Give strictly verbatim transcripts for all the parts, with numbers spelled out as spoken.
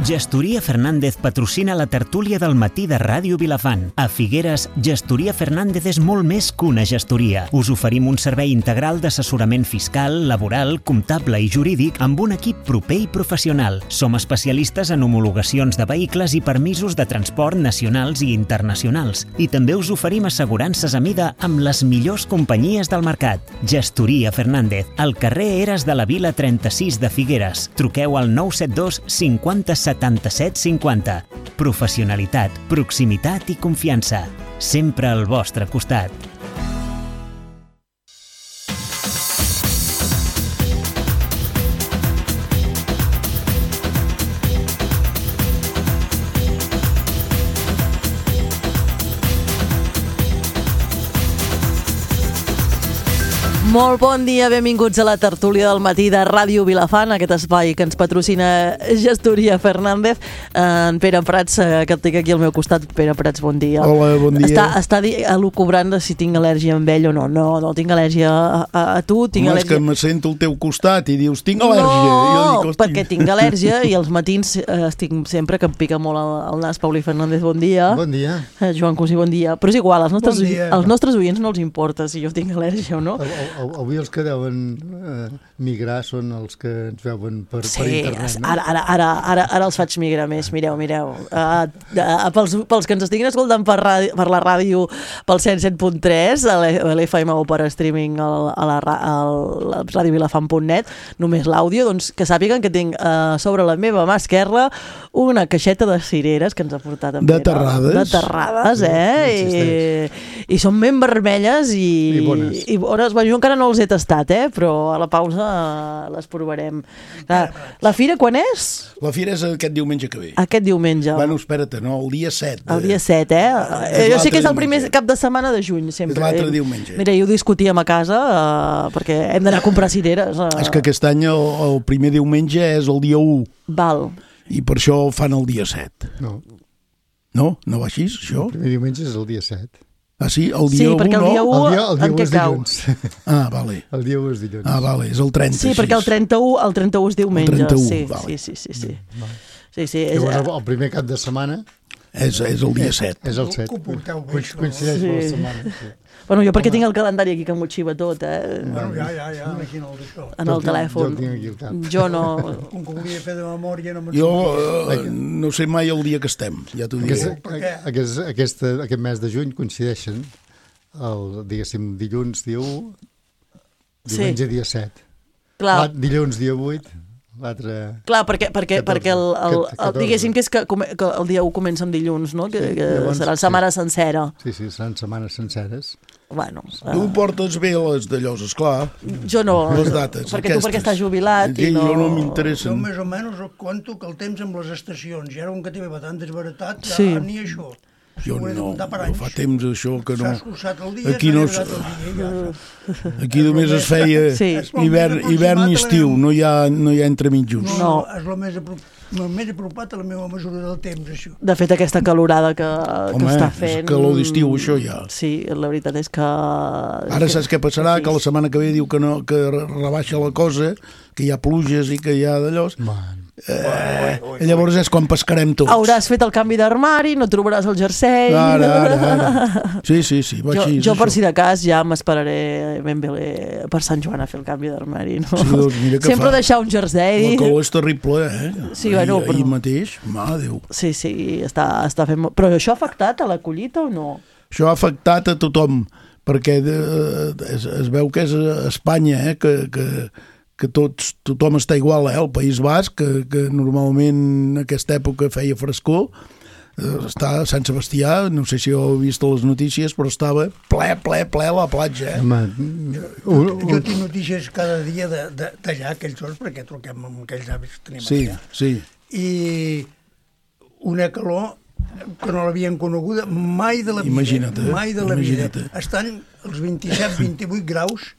Gestoria Fernández patrocina la tertúlia del matí de Ràdio Vilafant. A Figueres, Gestoria Fernández és molt més que una gestoria. Us oferim un servei integral d'assessorament fiscal, laboral, comptable i jurídic amb un equip proper i professional. Som especialistes en homologacions de vehicles i permisos de transport nacionals i internacionals. I també us oferim assegurances a mida amb les millors companyies del mercat. Gestoria Fernández, al carrer Eres de la Vila trenta-sis de Figueres. Truqueu al nou set dos cinquanta setanta-set cinquanta. Professionalitat, proximitat i confiança. Sempre al vostre costat. Molt bon dia, benvinguts a la tertúlia del matí de Ràdio Vilafant, aquest espai que ens patrocina Gestoria Fernández. En Pere Prats, que el tinc aquí al meu costat. Pere Prats, bon dia. Hola, bon dia. Està, està elucubrant de si tinc al·lèrgia amb ell o no. No, no tinc al·lèrgia a, a, a tu. Tinc Home, al·lèrgia... és que me sento al teu costat i dius, tinc al·lèrgia. No, I jo dic, perquè tinc al·lèrgia i els matins eh, estic sempre que em pica molt el, el nas. Pauli Fernández, bon dia. Bon dia. Eh, Joan Cosí, bon dia. Però és igual, als nostres, bon als nostres oients no els importa si jo tinc al·lèrgia o no. Avui els que deuen eh, migrar són els que ens veuen per, sí, per internet, no? ara, ara, ara, ara, ara els faig migrar més, mireu, mireu. Uh, uh, pels, pels que ens estiguin escoltant per, ràdio, per la ràdio pel cent set punt tres, a l'F M o per streaming a la ràdio vilafant punt net, només l'àudio, doncs que sàpiguen que tinc uh, sobre la meva mà esquerra una caixeta de cireres que ens ha portat en De Pere. terrades. De terrades, eh? I, i són ben vermelles i, I bones. I bones. Bueno, jo encara no els he tastat, eh? Però a la pausa les provarem. Clar, la fira quan és? La fira és aquest diumenge que ve. Aquest diumenge. Bueno, espera't, no, el dia set. El dia set, eh? És Jo sé que és el primer diumenge. cap de setmana de juny, sempre. És l'altre diumenge. Mira, jo ho discutíem a casa uh, perquè hem d'anar a comprar cireres. Uh. És que aquest any el, el primer diumenge és el dia u. Val. I per això el fan el dia set. No, No? No va així, això? el primer diumenge és el dia set. Ah, sí? El Sí, dia u, perquè el dia no? u, El dia, el dia en u què és cau? dilluns. Ah, vale. El dia u és dilluns. Ah, vale, és el trenta. Sí, perquè el trenta-u, el trenta-u és diumenge. El trenta-u, sí, vale. sí, sí, sí, sí. Val. Sí, sí, és, Llavors, el, el primer cap de setmana És, és el dia és, set. és el set. Que ho porteu bé, Coinc- això. Coincideix Sí. amb la setmana. Sí. bueno, jo perquè tinc el calendari aquí que m'ho xiva tot, eh? Bueno, ja, ja, ja, imagina't això. En el Jo- telèfon. jo tinc aquí el cap. Jo no... Com que volia fer de memòria no me'n Jo sortia. eh, no sé mai el dia que estem, ja t'ho Aquest, diré. Per què? aquest, aquest, aquest mes de juny coincideixen el, diguéssim, dilluns dia u, diumenge dia set. Clar, L'alt- Dilluns dia vuit, l'altre... clar, perquè, perquè, catorze. perquè el, el, el, catorze. diguéssim que, és que, come- que el dia u comença amb dilluns, no? Que, Sí, que llavors, serà la sí. setmana sencera. Sí, sí, seran setmanes senceres. Bueno, Tu uh, portes bé les d'allò, esclar. jo no. Les dates, perquè aquestes. tu perquè estàs jubilat Sí, i no... jo no Jo m'interessen. més o menys conto que el temps amb les estacions, i ara un que té tan desbaratat, ja Sí. ni això. Jo Ho he de no, comptar per jo anys. fa temps això que no... S'ha escurçat el dia, Aquí s'ha no allargat el dia, ja està. Aquí només es feia Sí. hivern, hivern i estiu, no hi ha, no hi ha entremitjos. No, No. és el més, apro el més apropat a la meva mesura del temps, això. De fet, aquesta calorada que, que Home, està és fent... calor d'estiu, això ja. Sí, la veritat és que... Ara saps què passarà? Que la setmana que ve diu que, no, que rebaixa la cosa, que hi ha pluges i que hi ha d'allò. Man. Eh, llavors és quan pescarem tots. Hauràs fet el canvi d'armari, no trobaràs el jersei... Ara, ara, ara. Sí, sí, sí, va Jo, així. jo per això. si de cas ja m'esperaré ben bé per Sant Joan a fer el canvi d'armari, no? Sí, doncs mira que Sempre fa. deixar un jersei. La calor és terrible, eh? Sí, bueno, ahir, però- ahir mateix, mà Déu. Sí, sí, està, està fent... molt- Però això ha afectat a la collita o no? Això ha afectat a tothom, perquè de, es, es veu que és a Espanya, eh? que, que, que tots, tothom està igual, eh? El País Basc, que, que normalment en aquesta època feia frescor, eh, està a Sant Sebastià, no sé si heu vist les notícies, però estava ple, ple, ple a la platja. Eh? Home, un, Jo un, tinc notícies cada dia de- de- d'allà, aquells dos, perquè truquem amb aquells avis que tenim Sí, allà. sí. I una calor que no l'havien coneguda mai de la vida. Imagina't, eh? Mai de la Imagina't. vida. Estan els vint-i-set vint-i-vuit graus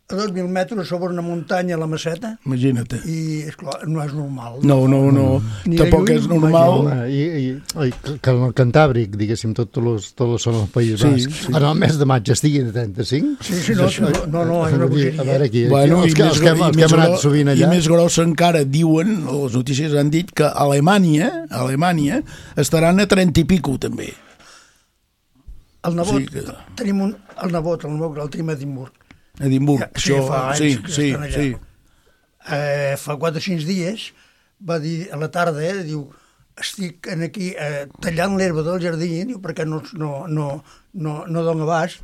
a dos mil metres sobre una muntanya a la Maceta. Imagina't. I, esclar, no és normal. No, no, no. Ni Tampoc de lluny, és normal. Home, I, i, i que en el Cantàbric, diguéssim, tots els, tots els són el País Sí, Basc, sí. en el mes de maig estiguin a trenta-cinc? Sí, sí, no, Això- no, no, és una vull dir, bogeria. A veure, aquí, aquí Bueno, els, i que, més els que hem, gro- els i que hem més anat gro- sovint allà... I més grossa encara, diuen, les notícies han dit que Alemanya, Alemanya estaran a trenta i pico, també. El nebot, Sí que- tenim un, el nebot, el nebot, el tenim a Edimburg. Edimburg, Ja, sí, això, fa anys sí, que sí, estan allà. sí. Eh, fa quatre o cinc dies va dir a la tarda, eh, diu, estic en aquí eh, tallant l'herba del jardí, diu, perquè no, no, no, no, no dona abast,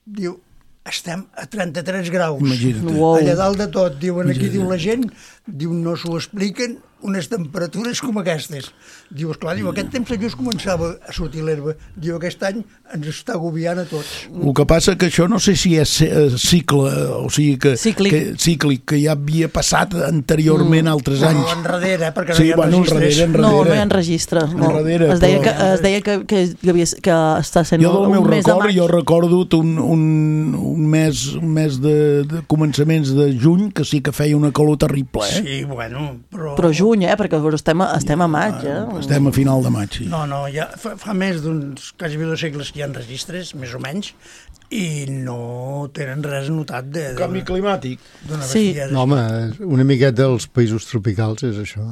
diu, estem a trenta-tres graus. Imagina't. Wow. Allà dalt de tot, diuen aquí, diu la gent, diu, no s'ho expliquen unes temperatures com aquestes. Diu, esclar, diu, aquest temps just començava a sortir l'herba. Diu, aquest any ens està agobiant a tots. El que passa que això no sé si és eh, cicle, o sigui que... Cíclic. Que, cíclic, que ja havia passat anteriorment mm. altres Però anys. enrere, eh, perquè Sí, no hi ha bueno, registres. enrere, enrere. No, no hi ha registre. No. Enrere, es deia, però- que, es deia que, que, que, havia, que està sent Jo del un meu mes de record, maig. jo recordo un, un, un mes, un mes de, de començaments de juny que sí que feia una calor terrible, eh? Sí, bueno, però... Però juny, eh? Perquè estem a, estem a maig, eh? Estem a final de maig, sí. No, no, ja fa, fa més d'uns quasi dos segles que hi ha registres, més o menys, i no tenen res notat de... de Canvi climàtic. d'una Sí. bestiesa. No, home, una miqueta dels països tropicals és això.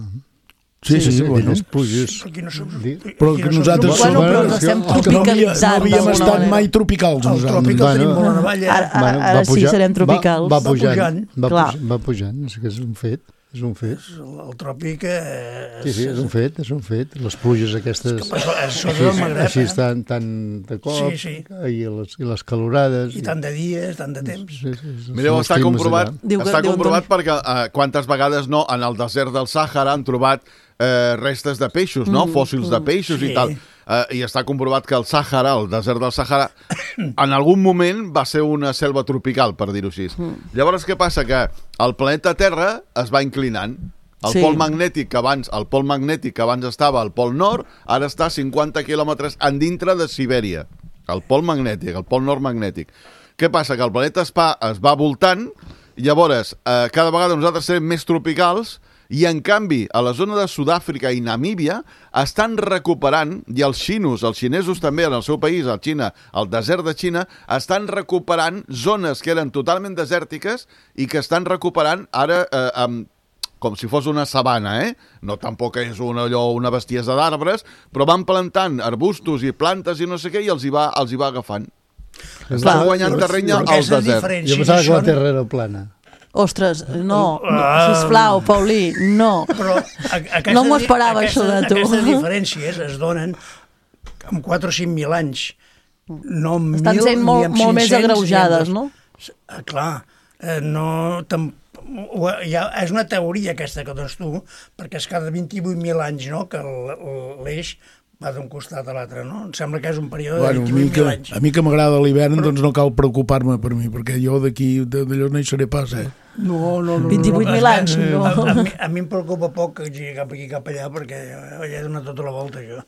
Sí, sí, sí, bueno. Les pluges... Però aquí no som... Di- Però aquí que som nosaltres tropicals. Bueno, però Bueno, ens estem el que no Que no, havia, tropicalitzant no havíem d'alguna estat manera. mai tropicals, El nosaltres. tròpic el Bueno. tenim molt a navalla. Ara, ara, ara sí serem tropicals. Va, va pujant, pujant. va, Clar. puj, va pujant, és que és un fet. És un fet. El, el tròpic... Eh, Sí, sí, és un fet, és un fet. Les pluges aquestes... És que això- això així, del Magreb, així eh? tan, tan de cop, Sí, sí. I, les, i les calorades... I tant de dies, tant de temps. Sí, sí, sí, Mireu, són els està climes comprovat, allà. Diu que- està diu comprovat perquè uh, quantes vegades no en el desert del Sàhara han trobat eh, restes de peixos, no? Fòssils de peixos Sí. i tal. Uh, I està comprovat que el Sàhara, el desert del Sàhara, en algun moment va ser una selva tropical, per dir-ho així. Llavors, què passa? Que el planeta Terra es va inclinant. El Sí. pol magnètic que abans, el pol magnètic que abans estava al pol nord, ara està a cinquanta quilòmetres en dintre de Sibèria. El pol magnètic, el pol nord magnètic. Què passa? Que el planeta es va, es va voltant, i llavors eh, cada vegada nosaltres serem més tropicals, i en canvi a la zona de Sud-àfrica i Namíbia estan recuperant, i els xinos, els xinesos també en el seu país, a Xina, el desert de Xina, estan recuperant zones que eren totalment desèrtiques i que estan recuperant ara eh, amb com si fos una sabana, eh? No tampoc és una, allò, una bestiesa d'arbres, però van plantant arbustos i plantes i no sé què, i els hi va, els hi va agafant. Estan guanyant terreny al Aquestes desert. diferències Jo pensava que la són- Terra era plana. Ostres, no, no Ah. sisplau, Paulí, no. Però a, aquestes, No m'ho esperava, aquestes, això de tu. Aquestes diferències es donen amb quatre o cinc mil anys. No amb Estan mil, sent ni molt, amb molt més cinc-cents, agreujades, ni amb no? dos. Ah, clar, eh, no... Tam, ho- ja, és una teoria aquesta que dones tu, perquè és cada vint-i-vuit mil anys, no?, que el- l'eix va d'un costat a l'altre, no? Em sembla que és un període Bueno, de a mi vint-i-vuit que, mil anys. a mi que m'agrada l'hivern, doncs no cal preocupar-me per mi, perquè jo d'aquí, d'allò no hi seré pas, eh? No, no, no. vint-i-vuit mil no, anys, no. A, a, mi, a mi em preocupa poc que hagi cap aquí cap allà, perquè ja he donat tota la volta, jo.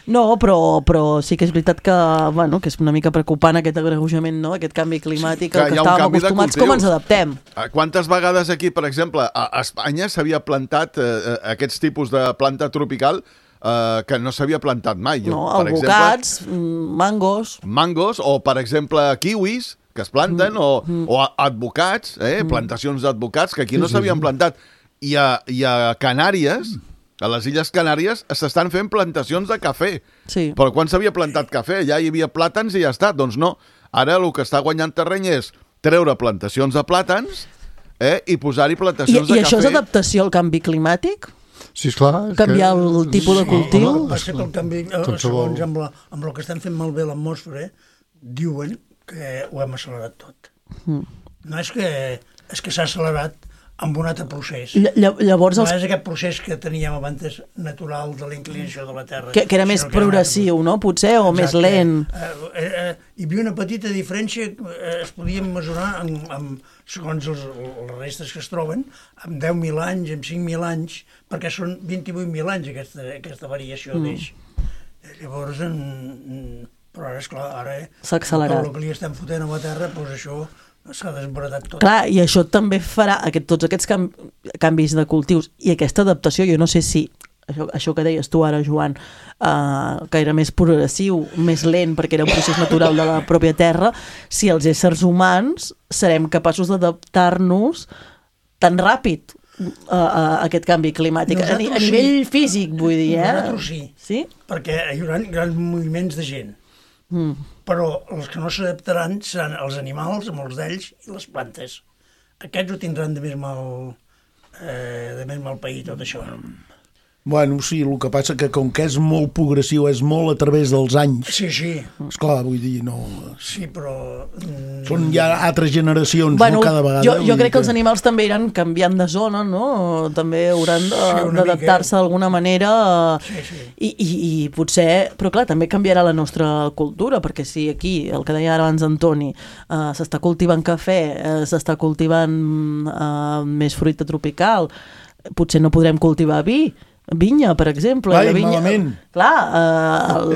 No, però, però sí que és veritat que, bueno, que és una mica preocupant aquest agreujament, no? Aquest canvi climàtic Que al que hi ha un estàvem canvi de acostumats. cultius. Com ens adaptem? Ah, Quantes vegades aquí, per exemple, a a Espanya s'havia plantat eh, eh, aquests tipus de planta tropical eh, que no s'havia plantat mai. Jo, No, per albocats, mm, mangos... mangos o, per exemple, kiwis que es planten, Mm. o, o a- advocats, eh? plantacions d'advocats que aquí no s'havien plantat. I a, I a Canàries, a les Illes Canàries, s'estan fent plantacions de cafè. Sí. Però quan s'havia plantat cafè? Allà hi havia plàtans i ja està. Doncs no. Ara el que està guanyant terreny és treure plantacions de plàtans eh? i posar-hi I, plantacions I de això és cafè. adaptació al canvi climàtic? Sí, esclar. és Canviar que- el tipus de Sí, cultiu? home, Va ser que el canvi, eh, Qualsevol- segons amb, la, amb el que estan fent malbé l'atmosfera, diuen que ho hem accelerat tot. Mm. No és que és que s'ha accelerat amb un altre procés. Ll ll Llavors, No els, és aquest procés que teníem abans natural de la inclinació de la Terra. que, que era més sinó que era un altre progressiu, no? Potser, o més Exacte. lent. Eh, eh, eh, hi havia una petita diferència, eh, es podien mesurar amb, amb, segons els, les restes que es troben, amb deu mil anys, amb cinc mil anys, perquè són vint-i-vuit mil anys aquesta, aquesta variació Mm. d'eix. Eh, Llavors, en, en, Però ara, esclar, ara... S'ha accelerat. El que li estem fotent a la terra, doncs això s'ha desbaratat tot. Clar, i això també farà aquest, tots aquests cam canvis de cultius i aquesta adaptació, jo no sé si això, això que deies tu ara, Joan, uh, que era més progressiu, més lent, perquè era un procés natural de la pròpia terra, si els éssers humans serem capaços d'adaptar-nos tan ràpid a, a aquest canvi climàtic. A, a nivell sí. físic, vull dir, eh? Nosaltres sí, sí? perquè hi haurà grans moviments de gent. Mm. Però els que no s'adaptaran seran els animals, molts d'ells, i les plantes. Aquests ho tindran de més mal, eh, de més mal pair, tot això. Bueno, sí, el que passa que com que és molt progressiu, és molt a través dels anys. Sí, sí. Esclar, vull dir, no... Sí, però... Són ja altres generacions, bueno, no cada vegada. Jo, jo crec que els animals també iran canviant de zona, no? També hauran d'adaptar-se sí, d'alguna manera. Sí, sí. I, i, I potser... Però clar, també canviarà la nostra cultura, perquè si aquí, el que deia ara abans Antoni, uh, s'està cultivant cafè, uh, s'està cultivant uh, més fruita tropical, potser no podrem cultivar vi, vinya, per exemple. Ai, la vinya, malament. Clar, eh, el,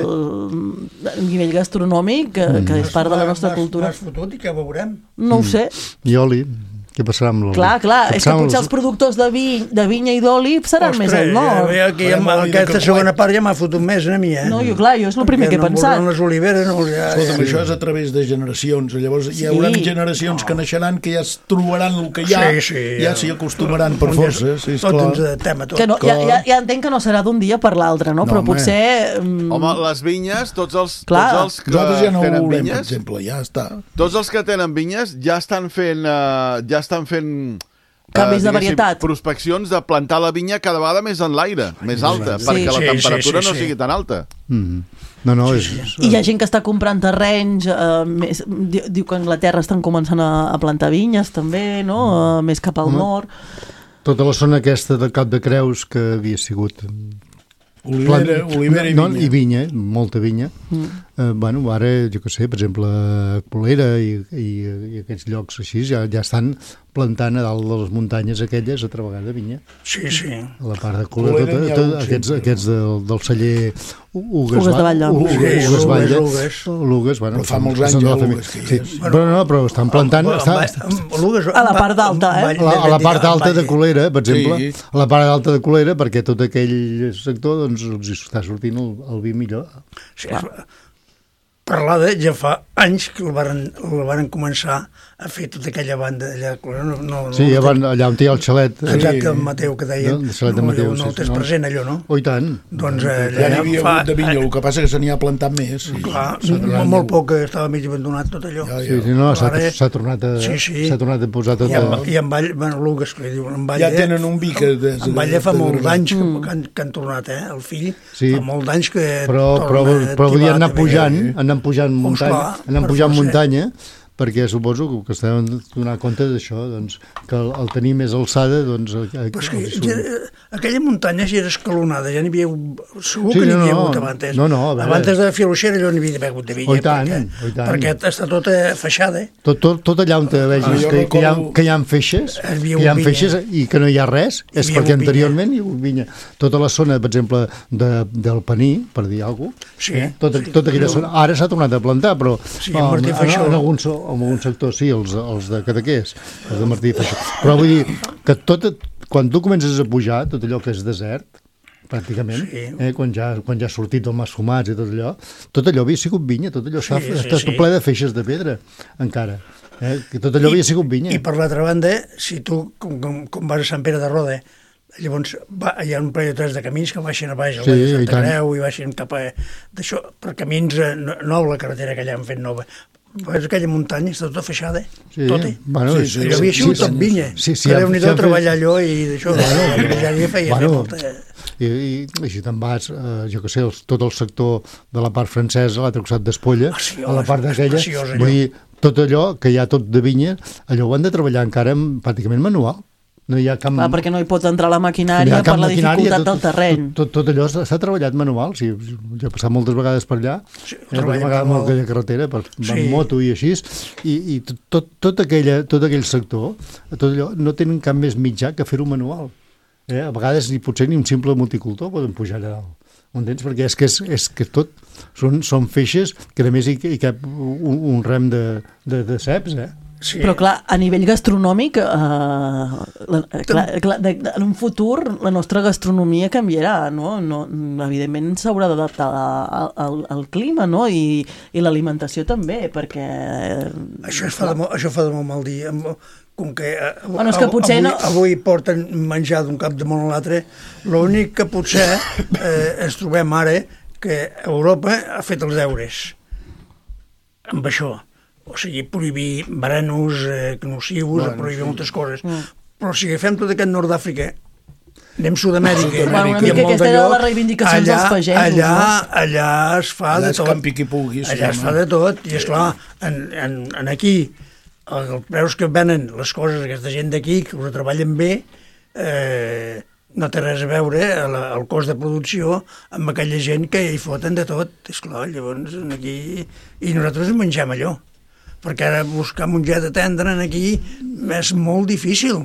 el nivell gastronòmic, que, mm. que és part de la nostra cultura. M'has fotut i què veurem? No ho sé. I oli. Què passarà amb l'oli? Clar, clar, és que potser els productors de, vi, de vinya i d'oli seran Ostres, més al nord. Ja, aquí, ja, aquesta segona part ja m'ha fotut més a mi, eh? No, jo, clar, jo és el primer que he no pensat. les oliveres, no, ja, Escolta'm, ja. això és a través de generacions. Llavors hi haurà sí. generacions no. que naixeran que ja es trobaran el que hi ha, sí, sí, ja s'hi acostumaran per força. Sí, tot ens adaptem a tot. Que no, ja, ja, ja entenc que no serà d'un dia per l'altre, no? no? Però home. potser... Um... Home, les vinyes, tots els, clar. tots els que Nosaltres ja no tenen ho volem, vinyes... per exemple, ja està. Tots els que tenen vinyes ja estan fent... Uh, ja estan fent... canvis uh, de varietat. Prospeccions de plantar la vinya cada vegada més en l'aire, més alta, sí. perquè la sí, temperatura sí, sí, no sí. sigui tan alta. Mm. No, no, és... I hi ha gent que està comprant terrenys, uh, més, diu, diu que a Anglaterra estan començant a, a plantar vinyes també, no? Uh, més cap al mm. nord. Tota la zona aquesta del Cap de Creus que havia sigut... Olivera, Plant... olivera i no, vinya. I vinya, molta vinya. Mm. Eh, bueno, ara, jo què sé, per exemple, Colera i, i, i aquests llocs així ja, ja estan plantant a dalt de les muntanyes aquelles altra vegada vinya. Sí, sí. A la part de Colera, tota, tota, aquests, aquests del, del celler Ugues, Ugues de Vall Ugues, sí, Ugues, Vall Ugues. Ugues, bueno, però fa molts anys ja Ugues. Sí. Bueno, no, però estan plantant... Està, a la part d'alta, eh? A la, a la part alta de Colera, per exemple, sí. a la part alta de Colera, perquè tot aquell sector doncs, els està sortint el, el vi millor. Sí, parlada ja fa anys que el varen, el varen començar a fer tota aquella banda allà. No, no, sí, no, van, allà on hi ha el xalet. Exacte, el Mateu que deien. No, el xalet de Mateu, no, no el tens sí, present allò, no? Oh, i tant. Doncs eh, ja n'hi havia hagut de vinya, el que passa que se n'hi ha plantat més. Sí. Clar, molt, molt poc estava mig abandonat tot allò. Ja, ja. Sí, sí, no, s'ha tornat, a, sí, sí. tornat a posar tot... I en, i en Vall, bueno, Lugues, que li diuen, en Vall... Ja tenen un vi que... De, en Vall fa molts anys que, que, han, que han tornat, eh? El fill sí. fa molts anys que però, però, però podien anar pujant, anar pujant muntanya, anar pujant muntanya, perquè suposo que estem donant compte d'això, doncs, que el, el tenir més alçada, doncs... El, pues que, ja, aquella muntanya ja era escalonada, ja n'hi havia... Segur sí, que n'hi havia no, hagut abans. No, no, abans de Filoxera allò n'hi havia hagut de vinya. Oh, i tant, perquè, oh, i tant. perquè està tota feixada. Tot, tot, tot allà on te vegis ah, que, que, hi ha, que hi ha feixes, que hi ha feixes i que no hi ha res, és perquè anteriorment hi ha hagut vinya. Tota la zona, per exemple, de, del Paní, per dir alguna cosa, sí, eh? tota, sí, tota aquella zona, ara s'ha tornat a plantar, però sí, oh, en, en, en, alguns, en algun sector sí, els, els de Cadaqués, els de Martí i Feixó. Però vull dir que tot, quan tu comences a pujar, tot allò que és desert, pràcticament, sí. eh, quan, ja, quan ja ha sortit el mas fumats i tot allò, tot allò havia sigut vinya, tot allò sí, està, sí, està sí. ple de feixes de pedra, encara. Eh, que tot allò I, havia sigut vinya. I per l'altra banda, si tu, com, com, com vas a Sant Pere de Roda, llavors va, hi ha un parell o tres de camins que baixen a baix, al sí, de Santa Creu, i baixen cap a... d'això, per camins eh, nou, la carretera que allà han fet nova. Veus aquella muntanya, està tota feixada, sí, tota. Bueno, sí, sí, allò havia sigut sí, tot vinya. Sí, sí, que Déu-n'hi-do si treballar allò i d'això. Bueno, ja hi feia bueno, molta... I, i, i si te'n vas, eh, jo què sé, el, tot el sector de la part francesa, l'altre costat d'Espolla, ah, sí, a la part d'aquella, vull dir, tot allò que hi ha tot de vinya, allò ho han de treballar encara amb, pràcticament manual. No hi ha cap... Ah, perquè no hi pots entrar la maquinària per la dificultat tot, del terreny. Tot, tot, tot allò s'ha treballat manual, sí, jo he passat moltes vegades per allà, sí, eh, vegades amb aquella carretera, per sí. amb moto i així, i, i tot, tot, aquella, tot aquell sector, tot allò, no tenen cap més mitjà que fer-ho manual. Eh? A vegades ni potser ni un simple multicultor poden pujar allà dalt. Entens? Perquè és que, és, és que tot són, són feixes que a més hi, hi cap un, un rem de, de, de ceps, eh? Sí. Però clar, a nivell gastronòmic, eh, la, clar, clar, de, de, en un futur la nostra gastronomia canviarà, no? no evidentment s'haurà d'adaptar al, al, al clima, no? I, i l'alimentació també, perquè... Això, es fa de, molt- això fa de molt mal dir. Com que, eh, Bueno, és que potser avui, no- avui porten menjar d'un cap de món a l'altre, l'únic que potser eh, ens trobem ara que Europa ha fet els deures amb això. O sigui, prohibir venenos, eh, nocius, bueno, prohibir sí. moltes coses. Mm. Però si agafem tot aquest nord d'Àfrica, anem a Sud-amèrica... Bueno, una mica aquesta era les reivindicacions allà, dels pagesos. Allà, no? allà es fa Allà de es tot. campi qui pugui, sí, allà es home. fa de tot. I, esclar, en, en, en aquí, els preus que venen les coses, aquesta gent d'aquí, que ho treballen bé, eh, no té res a veure el, el cost de producció amb aquella gent que hi foten de tot. Esclar, llavors aquí... I nosaltres mengem allò. Perquè ara buscar mongeta tendra aquí és molt difícil.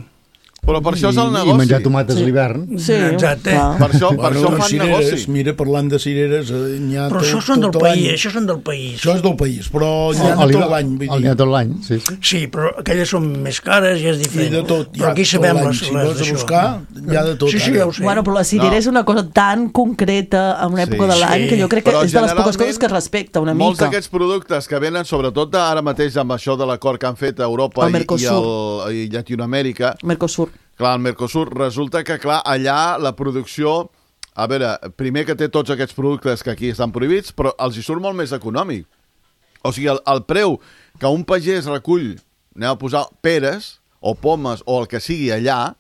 Però per això és el I, negoci. i menjar tomates Sí. a l'hivern. Sí, Exacte. clar. Per això, per això Bueno, fan cireres, negoci. mira, parlant de cireres, eh, n'hi ha Però tot, això són del tot l'any. país, això són del país. Això és del país, però n'hi ha El- de el- tot l'any, vull el- N'hi dir. ha tot l'any, sí, sí. Sí, però aquelles són més cares i és I diferent. de tot, hi però ha aquí tot sabem l'any. les, Si les vas a d'això. buscar, hi ha de tot. Sí, sí, ara. ja ho sé. Bueno, però la cirera No. és una cosa tan concreta en una època Sí. de l'any Sí. que jo crec que Però és de les poques generalment, coses que es respecta una Molts mica. d'aquests productes que venen, sobretot ara mateix amb això de l'acord que han fet a Europa El i, i, Mercosur. el, i Llatinoamèrica, Mercosur. clar, el Mercosur, resulta que, clar, allà la producció... A veure, primer que té tots aquests productes que aquí estan prohibits, però els hi surt molt més econòmic. O sigui, el, el preu que un pagès recull, anem a posar peres o pomes o el que sigui allà,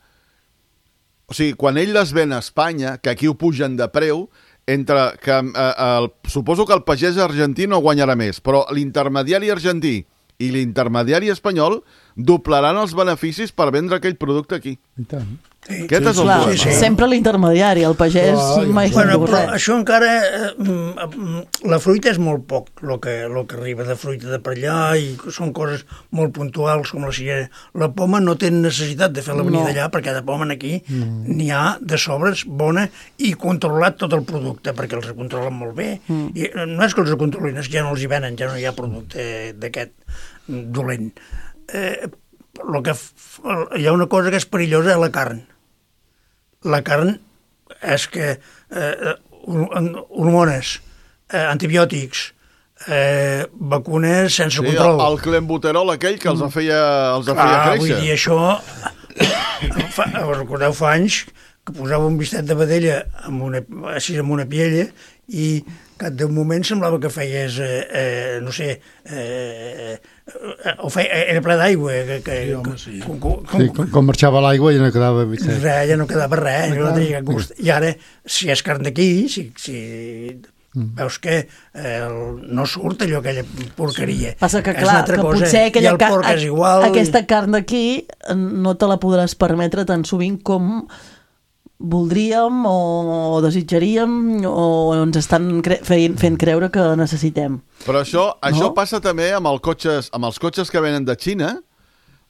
o sigui, quan ell les ven a Espanya, que aquí ho pugen de preu, entre que, eh, el, suposo que el pagès argentí no guanyarà més, però l'intermediari argentí i l'intermediari espanyol doblaran els beneficis per vendre aquell producte aquí. I tant. Sí. Aquest és el Clar, problema. sí. sempre l'intermediari, el pagès Clar, mai Bueno, se'n diu però res. això encara... Eh, mm, la fruita és molt poc, el que, lo que arriba de fruita de per allà, i són coses molt puntuals, com la cirera. La poma no té necessitat de fer-la venir No. d'allà, perquè de poma aquí n'hi ha de sobres bona i controlat tot el producte, perquè els controlen molt bé. Mm. I no és que els controlin, és que ja no els hi venen, ja no hi ha producte d'aquest dolent. Eh, lo que f- hi ha una cosa que és perillosa, és la carn. La carn és que eh, hormones, eh, antibiòtics, eh, vacunes sense Sí, el, control. el clenbuterol aquell que els feia, els feia Clar, vull créixer. dir, això... Fa, recordeu, fa anys que posava un bistet de vedella amb una, així amb una piella i que d'un moment semblava que feies, eh, eh, no sé, eh, eh, o feia, era ple d'aigua. Que, que, Sí, home, sí. Com, com, Sí, com, com marxava l'aigua ja no quedava bitxet. res, ja no quedava res, no tenia gust. I ara, si és carn d'aquí, si, si veus que eh, el, no surt allò, aquella porqueria. Passa que, És clar, una altra que cosa. potser I aquella el porc és igual. aquesta carn d'aquí no te la podràs permetre tan sovint com voldríem o desitjaríem o ens estan cre fent, fent creure que necessitem. Però això, això No? passa també amb, el cotxes, amb els cotxes que venen de Xina.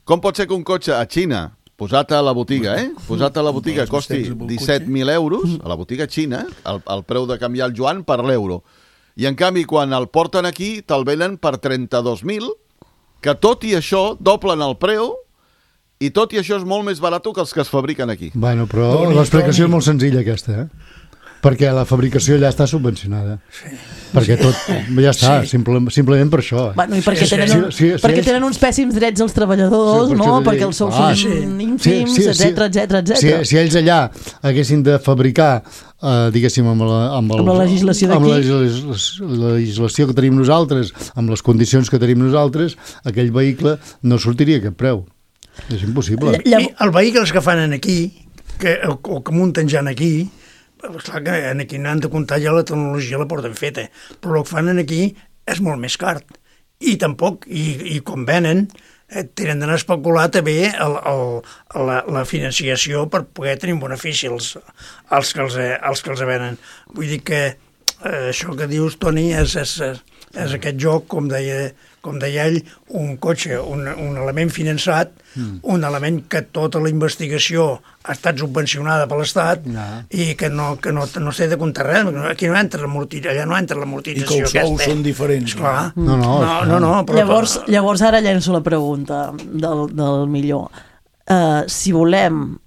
Com pot ser que un cotxe a Xina, posat a la botiga, eh? Posat a la botiga, Els costi bistecs amb el disset mil euros, a la botiga xina, el, el preu de canviar el yuan per l'euro. I en canvi, quan el porten aquí, te'l venen per trenta-dos mil, que tot i això doblen el preu, i tot i això és molt més barat que els que es fabriquen aquí. Bueno, però Toni, l'explicació Toni. és molt senzilla aquesta, eh? Perquè la fabricació allà està subvencionada. Sí. Perquè tot, ja està, sí. simple, simplement per això. Eh? Bueno, i perquè, Sí, sí. tenen, un, Sí, sí, sí, perquè ells- tenen uns pèssims drets als treballadors, Sí, per no? això t'he Perquè dit. els sous Ah, són sí. ínfims, etcètera, etcètera, Si, etcètera. si ells allà haguessin de fabricar, eh, diguéssim, amb la, amb, el, Amb la legislació amb la d'aquí. legis- la legislació que tenim nosaltres, amb les condicions que tenim nosaltres, aquell vehicle no sortiria a aquest preu. És impossible. Lla- Llavors, I els vehicles que fan en aquí, que, o, o que munten ja en aquí, esclar que en aquí n'han de comptar ja la tecnologia la porten feta, però el que fan en aquí és molt més car. I tampoc, i, i com venen, eh, tenen d'anar a especular també el, el, la, la financiació per poder tenir un benefici als, als, que els, eh, als que els venen. Vull dir que eh, això que dius, Toni, és, és, és, és aquest joc, com deia, com deia ell, un cotxe, un, un element finançat, mm. un element que tota la investigació ha estat subvencionada per l'Estat no. i que no, que no, no s'ha de comptar res. Aquí no entra l'amortització, allà no entra l'amortització. I que els sous són diferents. Esclar. No, no, no, no, no però llavors, llavors ara llenço la pregunta del, del millor. Uh, si volem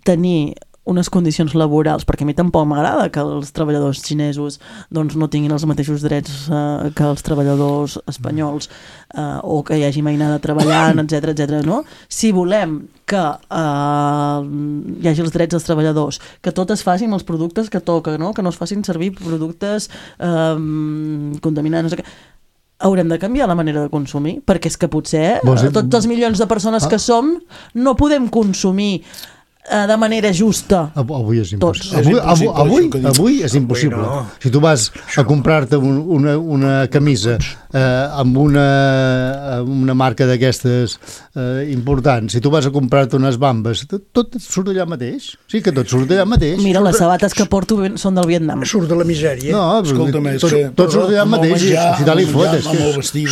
tenir unes condicions laborals, perquè a mi tampoc m'agrada que els treballadors xinesos doncs, no tinguin els mateixos drets uh, que els treballadors espanyols uh, o que hi hagi mainada treballant, etcètera, etcètera, no? Si volem que uh, hi hagi els drets dels treballadors, que tot es faci amb els productes que toca, no? Que no es facin servir productes uh, contaminants, no sé què, haurem de canviar la manera de consumir, perquè és que potser uh, tots els milions de persones que som no podem consumir de manera justa. Avui és impossible. Avui, avui, avui, avui és impossible. No. Si tu vas a comprar-te un, una, una camisa eh, amb una, una marca d'aquestes eh, importants, si tu vas a comprar-te unes bambes, tot, tot surt allà mateix. Sí, que tot surt allà mateix. Mira, les sabates que porto són del Vietnam. Surt de la misèria. No, escolta'm, tot, que... tot surt allà mateix. Menjar, si tal hi fotes.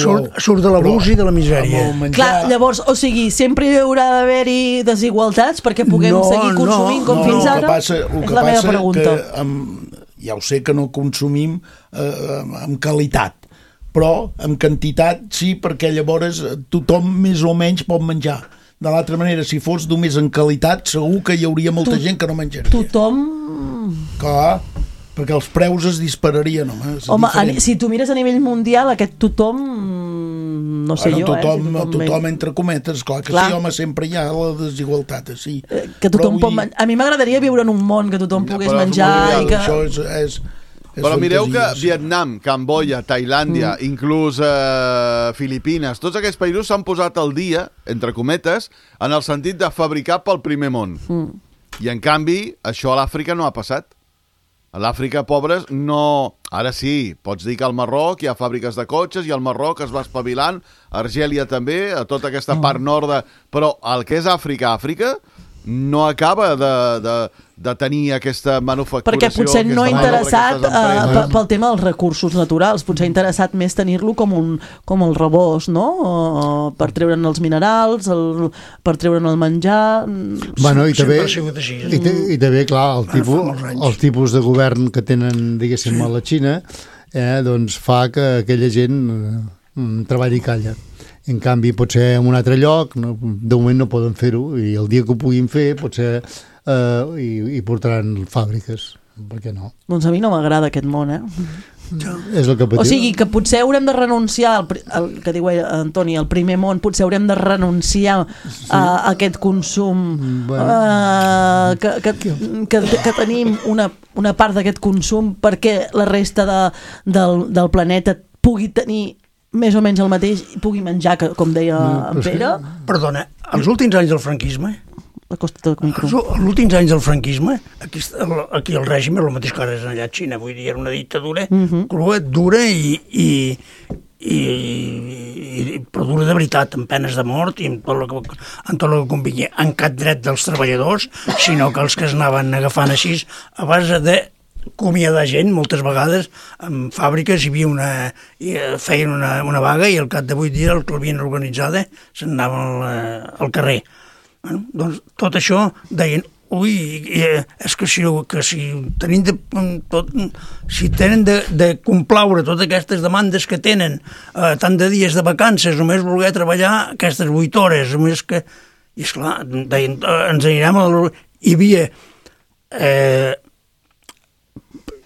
Surt, surt de l'abús i de la misèria. Clar, llavors, o sigui, sempre hi haurà d'haver-hi desigualtats perquè puguem no, seguir consumint no, com no, fins no, ara? Passa, és la meva pregunta. Que, amb, ja ho sé que no consumim eh, amb qualitat, però amb quantitat sí, perquè llavors tothom més o menys pot menjar. De l'altra manera, si fos només en qualitat, segur que hi hauria molta tu, gent que no menjaria. Tothom... Clar, perquè els preus es dispararien, home. Home, a, si tu mires a nivell mundial, aquest tothom... No sé bueno, jo, tothom, eh? Si tothom, tothom entre cometes, clar que clar. Sí, home, sempre hi ha la desigualtat, sí. Que tothom pot menjar. A mi m'agradaria viure en un món que tothom ja, pogués menjar i que... Això és... és És però mireu que Vietnam, Camboya, Tailàndia, mm. inclús eh, Filipines, tots aquests països s'han posat al dia, entre cometes, en el sentit de fabricar pel primer món. Mm. I en canvi, això a l'Àfrica no ha passat. A l'Àfrica, pobres, no... Ara sí, pots dir que al Marroc hi ha fàbriques de cotxes i al Marroc es va espavilant, a Argèlia també, a tota aquesta part nord de... Però el que és Àfrica, Àfrica, no acaba de, de, de tenir aquesta manufacturació... Perquè potser no ha interessat uh, pel tema dels recursos naturals, potser ha interessat més tenir-lo com un com el rebost, no? Uh, per treure'n els minerals, el, per treure'n el menjar... Bueno, i també, i, i també, clar, el tipus, el tipus de govern que tenen, diguéssim, a la Xina, eh, doncs fa que aquella gent eh, treballi i calla. En canvi, potser en un altre lloc, no, de moment no poden fer-ho, i el dia que ho puguin fer, potser eh, hi, hi portaran fàbriques. Per què no? Doncs a mi no m'agrada aquest món, eh? Ja. És el que patiu. O sigui, que potser haurem de renunciar, al, al que diu Antoni, al primer món, potser haurem de renunciar sí. a, a aquest consum, bueno. uh, que, que, que, que tenim una, una part d'aquest consum perquè la resta de, del, del planeta pugui tenir més o menys el mateix i pugui menjar, que, com deia no, en Pere. Que... Perdona, els últims anys del franquisme, els últims anys del franquisme, aquí, aquí el règim és el mateix que ara és allà a Xina, vull dir, era una dictadura uh -huh. crua, dura i, i, i, i, però dura de veritat, amb penes de mort i amb tot el que, amb tot el que convingui, en cap dret dels treballadors, sinó que els que es anaven agafant així a base de acomiadar gent, moltes vegades en fàbriques hi havia una feien una, una vaga i al cap de vuit dies el que l'havien organitzada se'n anaven al, al carrer. Bueno, doncs tot això deien, ui, és que si, que si tenim de, tot, si tenen de, de complaure totes aquestes demandes que tenen, eh, tant de dies de vacances, només voler treballar aquestes vuit hores, només que, i esclar, deien, ens anirem a la... Hi havia eh,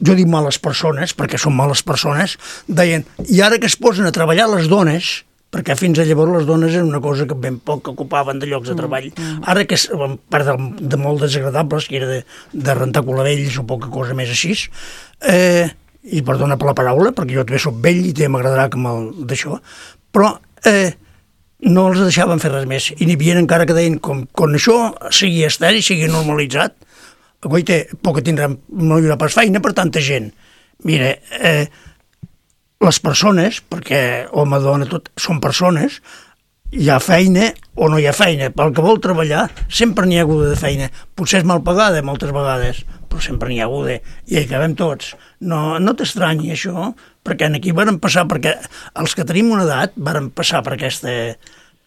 jo dic males persones, perquè són males persones, deien, i ara que es posen a treballar les dones, perquè fins a llavors les dones eren una cosa que ben poc ocupaven de llocs de treball, ara que, a part de, de molt desagradables, que era de, de rentar colavells o poca cosa més així, eh, i perdona per la paraula, perquè jo també soc vell i també m'agradarà que me'l d'això, però eh, no els deixaven fer res més, i n'hi havia encara que deien, com, com això sigui estèril, sigui normalitzat, guaita, poc que tindrem, no hi haurà pas feina per tanta gent. Mira, eh, les persones, perquè home, dona, tot, són persones, hi ha feina o no hi ha feina. Pel que vol treballar, sempre n'hi ha hagut de feina. Potser és mal pagada moltes vegades, però sempre n'hi ha hagut, i hi acabem tots. No, no t'estranyi això, perquè aquí varen passar, perquè els que tenim una edat varen passar per, aquesta,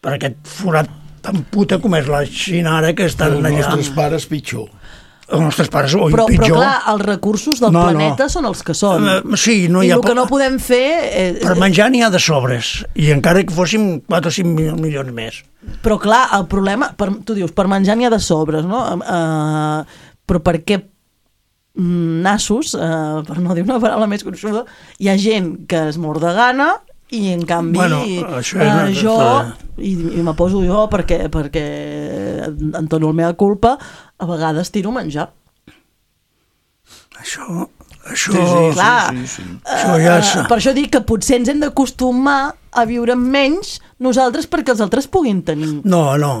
per aquest forat tan puta com és la Xina ara, que estan Els allà. nostres pares pitjor. Els nostres pares, o Però, pitjor. però clar, els recursos del No, no. planeta són els que són. Uh, sí, no I hi ha el que po- no podem fer... Eh, Per menjar n'hi ha de sobres, i encara que fóssim quatre o cinc milions més. Però clar, el problema, per, tu dius, per menjar n'hi ha de sobres, no? Uh, però per què mm, nassos, uh, per no dir una paraula més gruixuda, hi ha gent que es mor de gana i en canvi Bueno, això és uh, una- jo, i, i me poso jo perquè, perquè en tono el meva culpa, a vegades tiro menjar. Això... Això... Sí, sí, Clar, sí, sí, sí. Això ja és... Uh, per això dic que potser ens hem d'acostumar a viure amb menys nosaltres perquè els altres puguin tenir. No, no.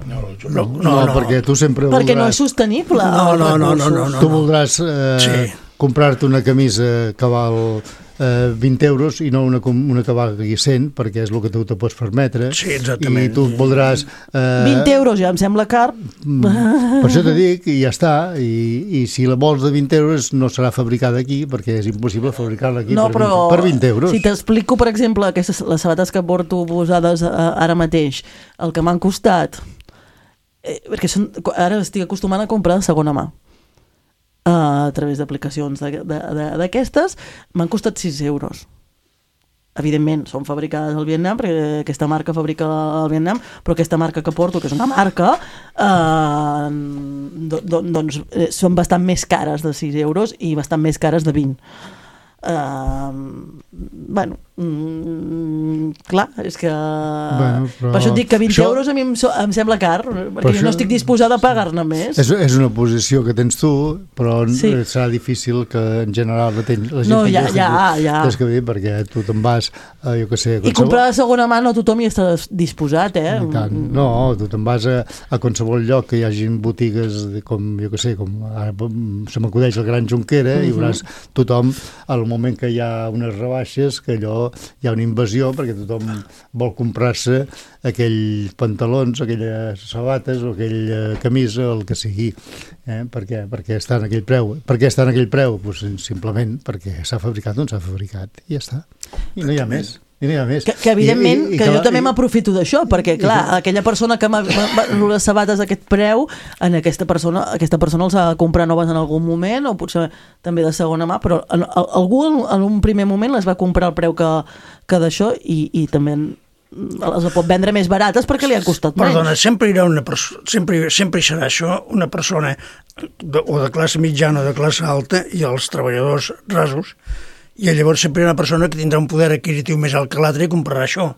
No, jo No, no. No, no, no. perquè tu sempre Perquè no és voldràs... sostenible. No, els no, no, no, recursos. no, no. Tu voldràs eh, Sí. comprar-te una camisa que val eh, vint euros i no una, com- una que valgui cent, perquè és el que tu te pots permetre. Sí, exactament. I tu voldràs... Eh, vint euros ja em sembla car. Per això te dic, i ja està, i, i si la vols de vint euros no serà fabricada aquí, perquè és impossible fabricar-la aquí No, per, però vint, per vint euros. si t'explico, per exemple, aquestes, les sabates que porto posades eh, ara mateix, el que m'han costat, eh, perquè són, ara estic acostumant a comprar de segona mà, eh, a través d'aplicacions de- de- de- d'aquestes, m'han costat sis euros. Evidentment, són fabricades al Vietnam, perquè aquesta marca fabrica al Vietnam, però aquesta marca que porto, que és una marca, eh, do, do, doncs eh, són bastant més cares de sis euros i bastant més cares de vint. Uh, bueno, mm, clar, és que Bueno, però per això et dic que vint això- euros a mi em, so, em sembla car, perquè jo això- no estic disposada a pagar-ne més. És, és una posició que tens tu, però Sí. sí. serà difícil que en general la, ten, la gent No, tingui ja, aquesta- ja, ja. Saps què vull dir? Perquè tu te'n vas, eh, jo què sé... a I qualsevol- comprar de segona mà no tothom hi està disposat, eh? I tant. No, tu te'n vas a, a qualsevol lloc que hi hagin botigues de, com, jo què sé, com ara se m'acudeix el Gran Junquera, uh -huh. i veuràs tothom, al moment que hi ha unes rebaixes, que allò hi ha una invasió, perquè tothom vol comprar-se aquells pantalons, aquelles sabates o aquella camisa, el que sigui. Eh? Per què? Perquè està en aquell preu. Per què està en aquell preu? Pues, simplement perquè s'ha fabricat on s'ha fabricat. I ja està. I no hi ha més. I no hi ha més. Que, que evidentment, I, i, i, que jo també i- m'aprofito d'això, perquè clar, aquella persona que m'ha m'ha- les sabates a aquest preu, en aquesta persona, aquesta persona els ha de comprar noves en algun moment, o potser també de segona mà, però en, en, algú en, en un primer moment les va comprar al preu que, que d'això, i, i també les pot vendre més barates perquè li ha costat menys. Perdona, sempre hi haurà una persona, sempre, sempre hi serà això, una persona de, o de classe mitjana o de classe alta i els treballadors rasos, i llavors sempre hi ha una persona que tindrà un poder adquisitiu més alt que l'altre i comprarà això.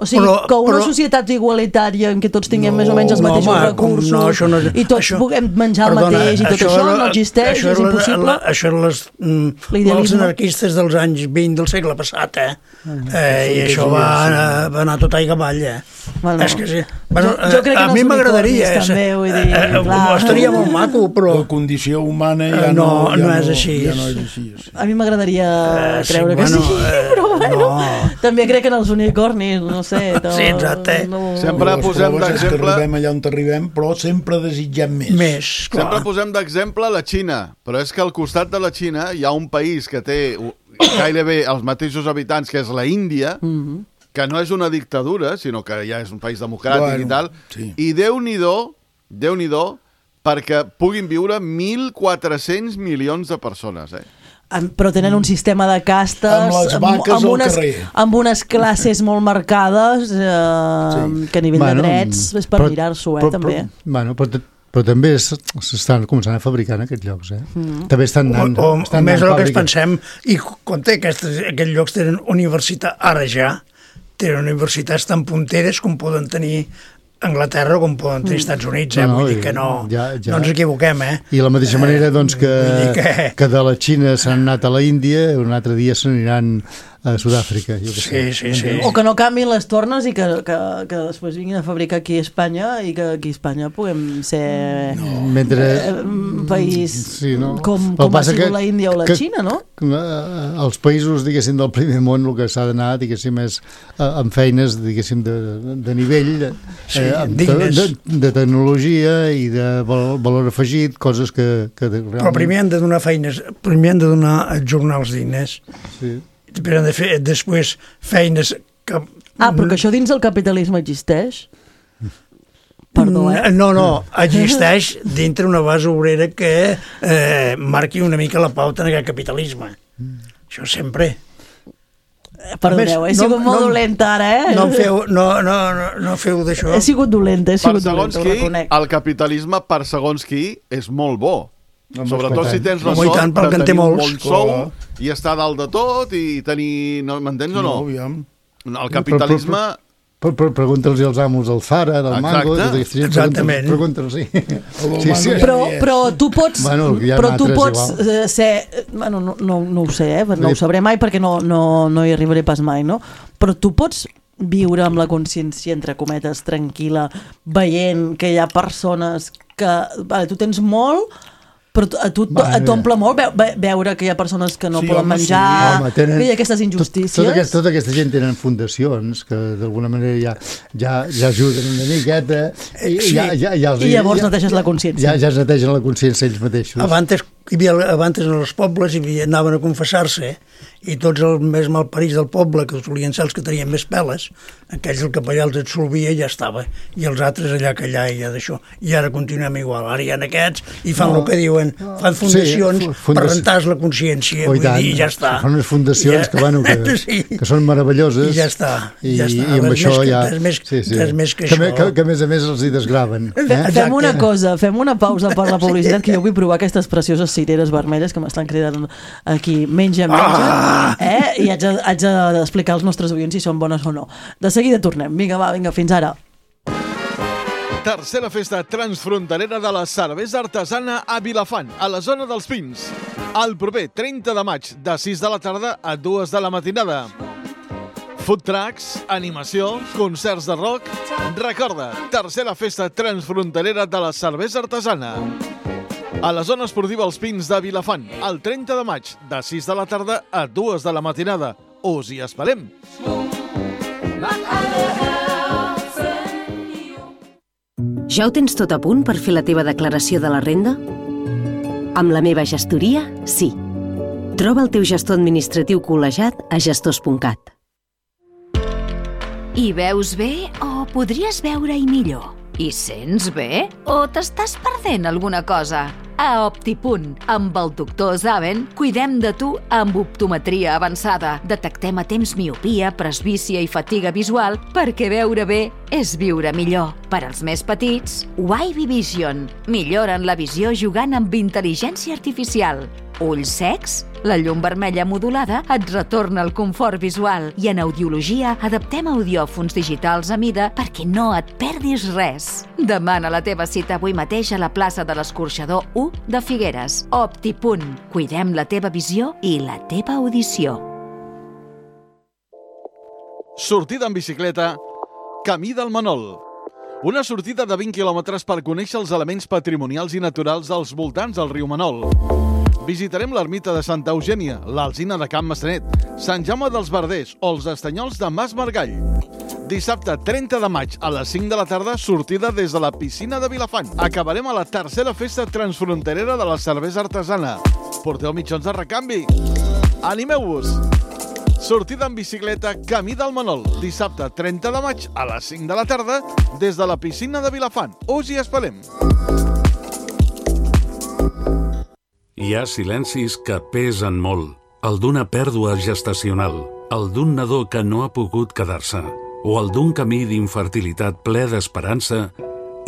O sigui, Però- que una però- societat igualitària en què tots tinguem No, més o menys els no, mateixos home, recursos, no, això no és- i tots això- puguem menjar perdona, el mateix i tot això, era- no existeix, això és era la- impossible. La, això eren les, mm, L'idealisme. els anarquistes dels anys vint del segle passat, eh? Mm. eh I això va, anar- va anar tot aigua avall, eh? Bueno, és que sí. Bueno, jo- jo crec que a en mi els m'agradaria... unicornis també, vull dir, eh, eh, clar. estaria molt maco, però... La condició humana Eh, ja no, no, ja no és així. Ja no és així. Sí. A mi m'agradaria Eh, sí, creure que bueno, sí, eh, però bueno, no. també crec en els unicornis, no sé. No, Sí, exacte. No, Sempre Les posem proves és que d'exemple... arribem allà on arribem, però sempre desitgem més. Més, clar. Sempre posem d'exemple la Xina, però és que al costat de la Xina hi ha un país que té gairebé els mateixos habitants, que és la Índia, Mhm. que no és una dictadura, sinó que ja és un país democràtic Bueno, i tal, sí. i Déu-n'hi-do, Déu-n'hi-do, perquè puguin viure mil quatre-cents milions de persones, eh? Amb- però tenen un sistema de castes Amb les vaques amb, al unes, carrer. amb unes classes molt marcades, eh, que a nivell Bueno, de drets és per però- mirar-s'ho, eh, però- també. Però, bueno, però, t- però també es- s'estan començant a fabricar en aquests llocs, eh? Mm. També estan anant... o, o, estan més anant del que ens fàbriques. pensem, i quan té aquests, aquests llocs tenen universitat, ara ja, tenen universitats tan punteres com poden tenir Anglaterra o com poden tenir Estats Units, eh? No, no, Vull dir i que no, ja- ja- no ens equivoquem, eh? I de la mateixa manera doncs, que, vull dir que- que de la Xina s'han anat a la Índia, un altre dia s'aniran a Sud-àfrica. Jo que Sí, sí, sí. O que no canviïn les tornes i que, que, que després vinguin a fabricar aquí a Espanya i que aquí a Espanya puguem ser no. Mentre... eh, un país sí, no? com, com ha sigut que, la Índia o la que, Xina, no? Els països, diguéssim, del primer món, el que s'ha d'anar, diguéssim, és amb feines, diguéssim, de, de nivell, sí, eh, de, de, de tecnologia i de valor afegit, coses que, que realment... Però primer han de donar feines, primer han de donar jornals dignes. Sí. Però han de fer després feines que... Ah, però que això dins el capitalisme existeix? Perdó, eh? No, no, existeix dintre una base obrera que eh, marqui una mica la pauta en aquest capitalisme. Això sempre. Perdoneu, he sigut no, molt no, dolenta ara, eh? No feu, no, no, no, no feu d'això. He sigut dolenta, he sigut dolenta, ho reconec. El capitalisme, per segons qui, és molt bo. No, sobretot si tens la no, sort tant, de tenir un bon sou oh. i estar dalt de tot i tenir... No, m'entens o no? No, aviam. El capitalisme... Però, però, pregunta'ls als amos del Zara, del Exacte. Mango... Exacte. Exactament. Pregunta'ls, sí. sí, sí. Però, però tu pots, bueno, però tu pots ser... Bueno, no, no, no ho sé, eh? No ho sabré mai perquè no, no, no hi arribaré pas mai, no? Però tu pots viure amb la consciència, entre cometes, tranquil·la, veient que hi ha persones que... Vale, tu tens molt... Però a tu t'omple molt veure que hi ha persones que no sí, poden home, menjar, sí. home, tenen, que hi ha aquestes injustícies. Tot, tota, aquesta, tota aquesta gent tenen fundacions que d'alguna manera ja, ja, ja ajuden una miqueta i, sí. ja, ja, ja els, I llavors ja, neteges la consciència. Ja, ja es netegen la consciència ells mateixos. Abans hi havia, abans en els pobles hi havia, anaven a confessar-se i tots els més malparits del poble, que solien ser els que tenien més peles, aquells el capellà els absolvia i ja estava, i els altres allà que allà i ja d'això, i ara continuem igual, ara hi ha aquests i fan no. el que diuen, fan fundacions sí, fundació. per rentar la consciència, oh, vull tant. dir, ja està. Fan unes fundacions ja. que, bueno, que, sí. que són meravelloses. I ja està. I, ja està. i amb res això més, ja... Res més, sí, sí. res més que, que això. Que, que a més a més els hi desgraven. Eh? Fem una cosa, fem una pausa per la publicitat, que jo vull provar aquestes precioses cireres vermelles que m'estan cridant aquí, menja, menja, ah! eh? I haig, de, haig d'explicar als nostres oients si són bones o no. De seguida tornem. Vinga, va, vinga, fins ara. Tercera festa transfronterera de la cervesa artesana a Vilafant, a la zona dels Pins. El proper trenta de maig, de sis de la tarda a dues de la matinada. Food trucks, animació, concerts de rock... Recorda, tercera festa transfronterera de la cervesa artesana. A la zona esportiva Els Pins de Vilafant, el trenta de maig, de sis de la tarda a dues de la matinada. Us hi esperem! Ja ho tens tot a punt per fer la teva declaració de la renda? Amb la meva gestoria, sí. Troba el teu gestor administratiu col·legiat a gestors punt cat. Hi veus bé o podries veure-hi millor? Hi sents bé o t'estàs perdent alguna cosa? A Optipunt, amb el doctor Zaven, cuidem de tu amb optometria avançada. Detectem a temps miopia, presbícia i fatiga visual perquè veure bé és viure millor. Per als més petits, Wavy Vision. Milloren la visió jugant amb intel·ligència artificial. Ulls secs? La llum vermella modulada et retorna el confort visual i en audiologia adaptem audiòfons digitals a mida perquè no et perdis res. Demana la teva cita avui mateix a la plaça de l'Escorxador u de Figueres. Optipunt. Cuidem la teva visió i la teva audició. Sortida en bicicleta, Camí del Manol. Una sortida de vint quilòmetres per conèixer els elements patrimonials i naturals als voltants del riu Manol. Visitarem l'ermita de Santa Eugènia, l'Alzina de Can Maçanet, Sant Jaume dels Verders o els estanyols de Mas Margall. Dissabte trenta de maig a les cinc de la tarda, sortida des de la piscina de Vilafant. Acabarem a la tercera festa transfronterera de la cervesa artesana. Porteu mitjons de recanvi. Animeu-vos! Sortida en bicicleta Camí del Manol. Dissabte trenta de maig a les cinc de la tarda des de la piscina de Vilafant. Us hi esperem! Hi ha silencis que pesen molt. El d'una pèrdua gestacional, el d'un nadó que no ha pogut quedar-se, o el d'un camí d'infertilitat ple d'esperança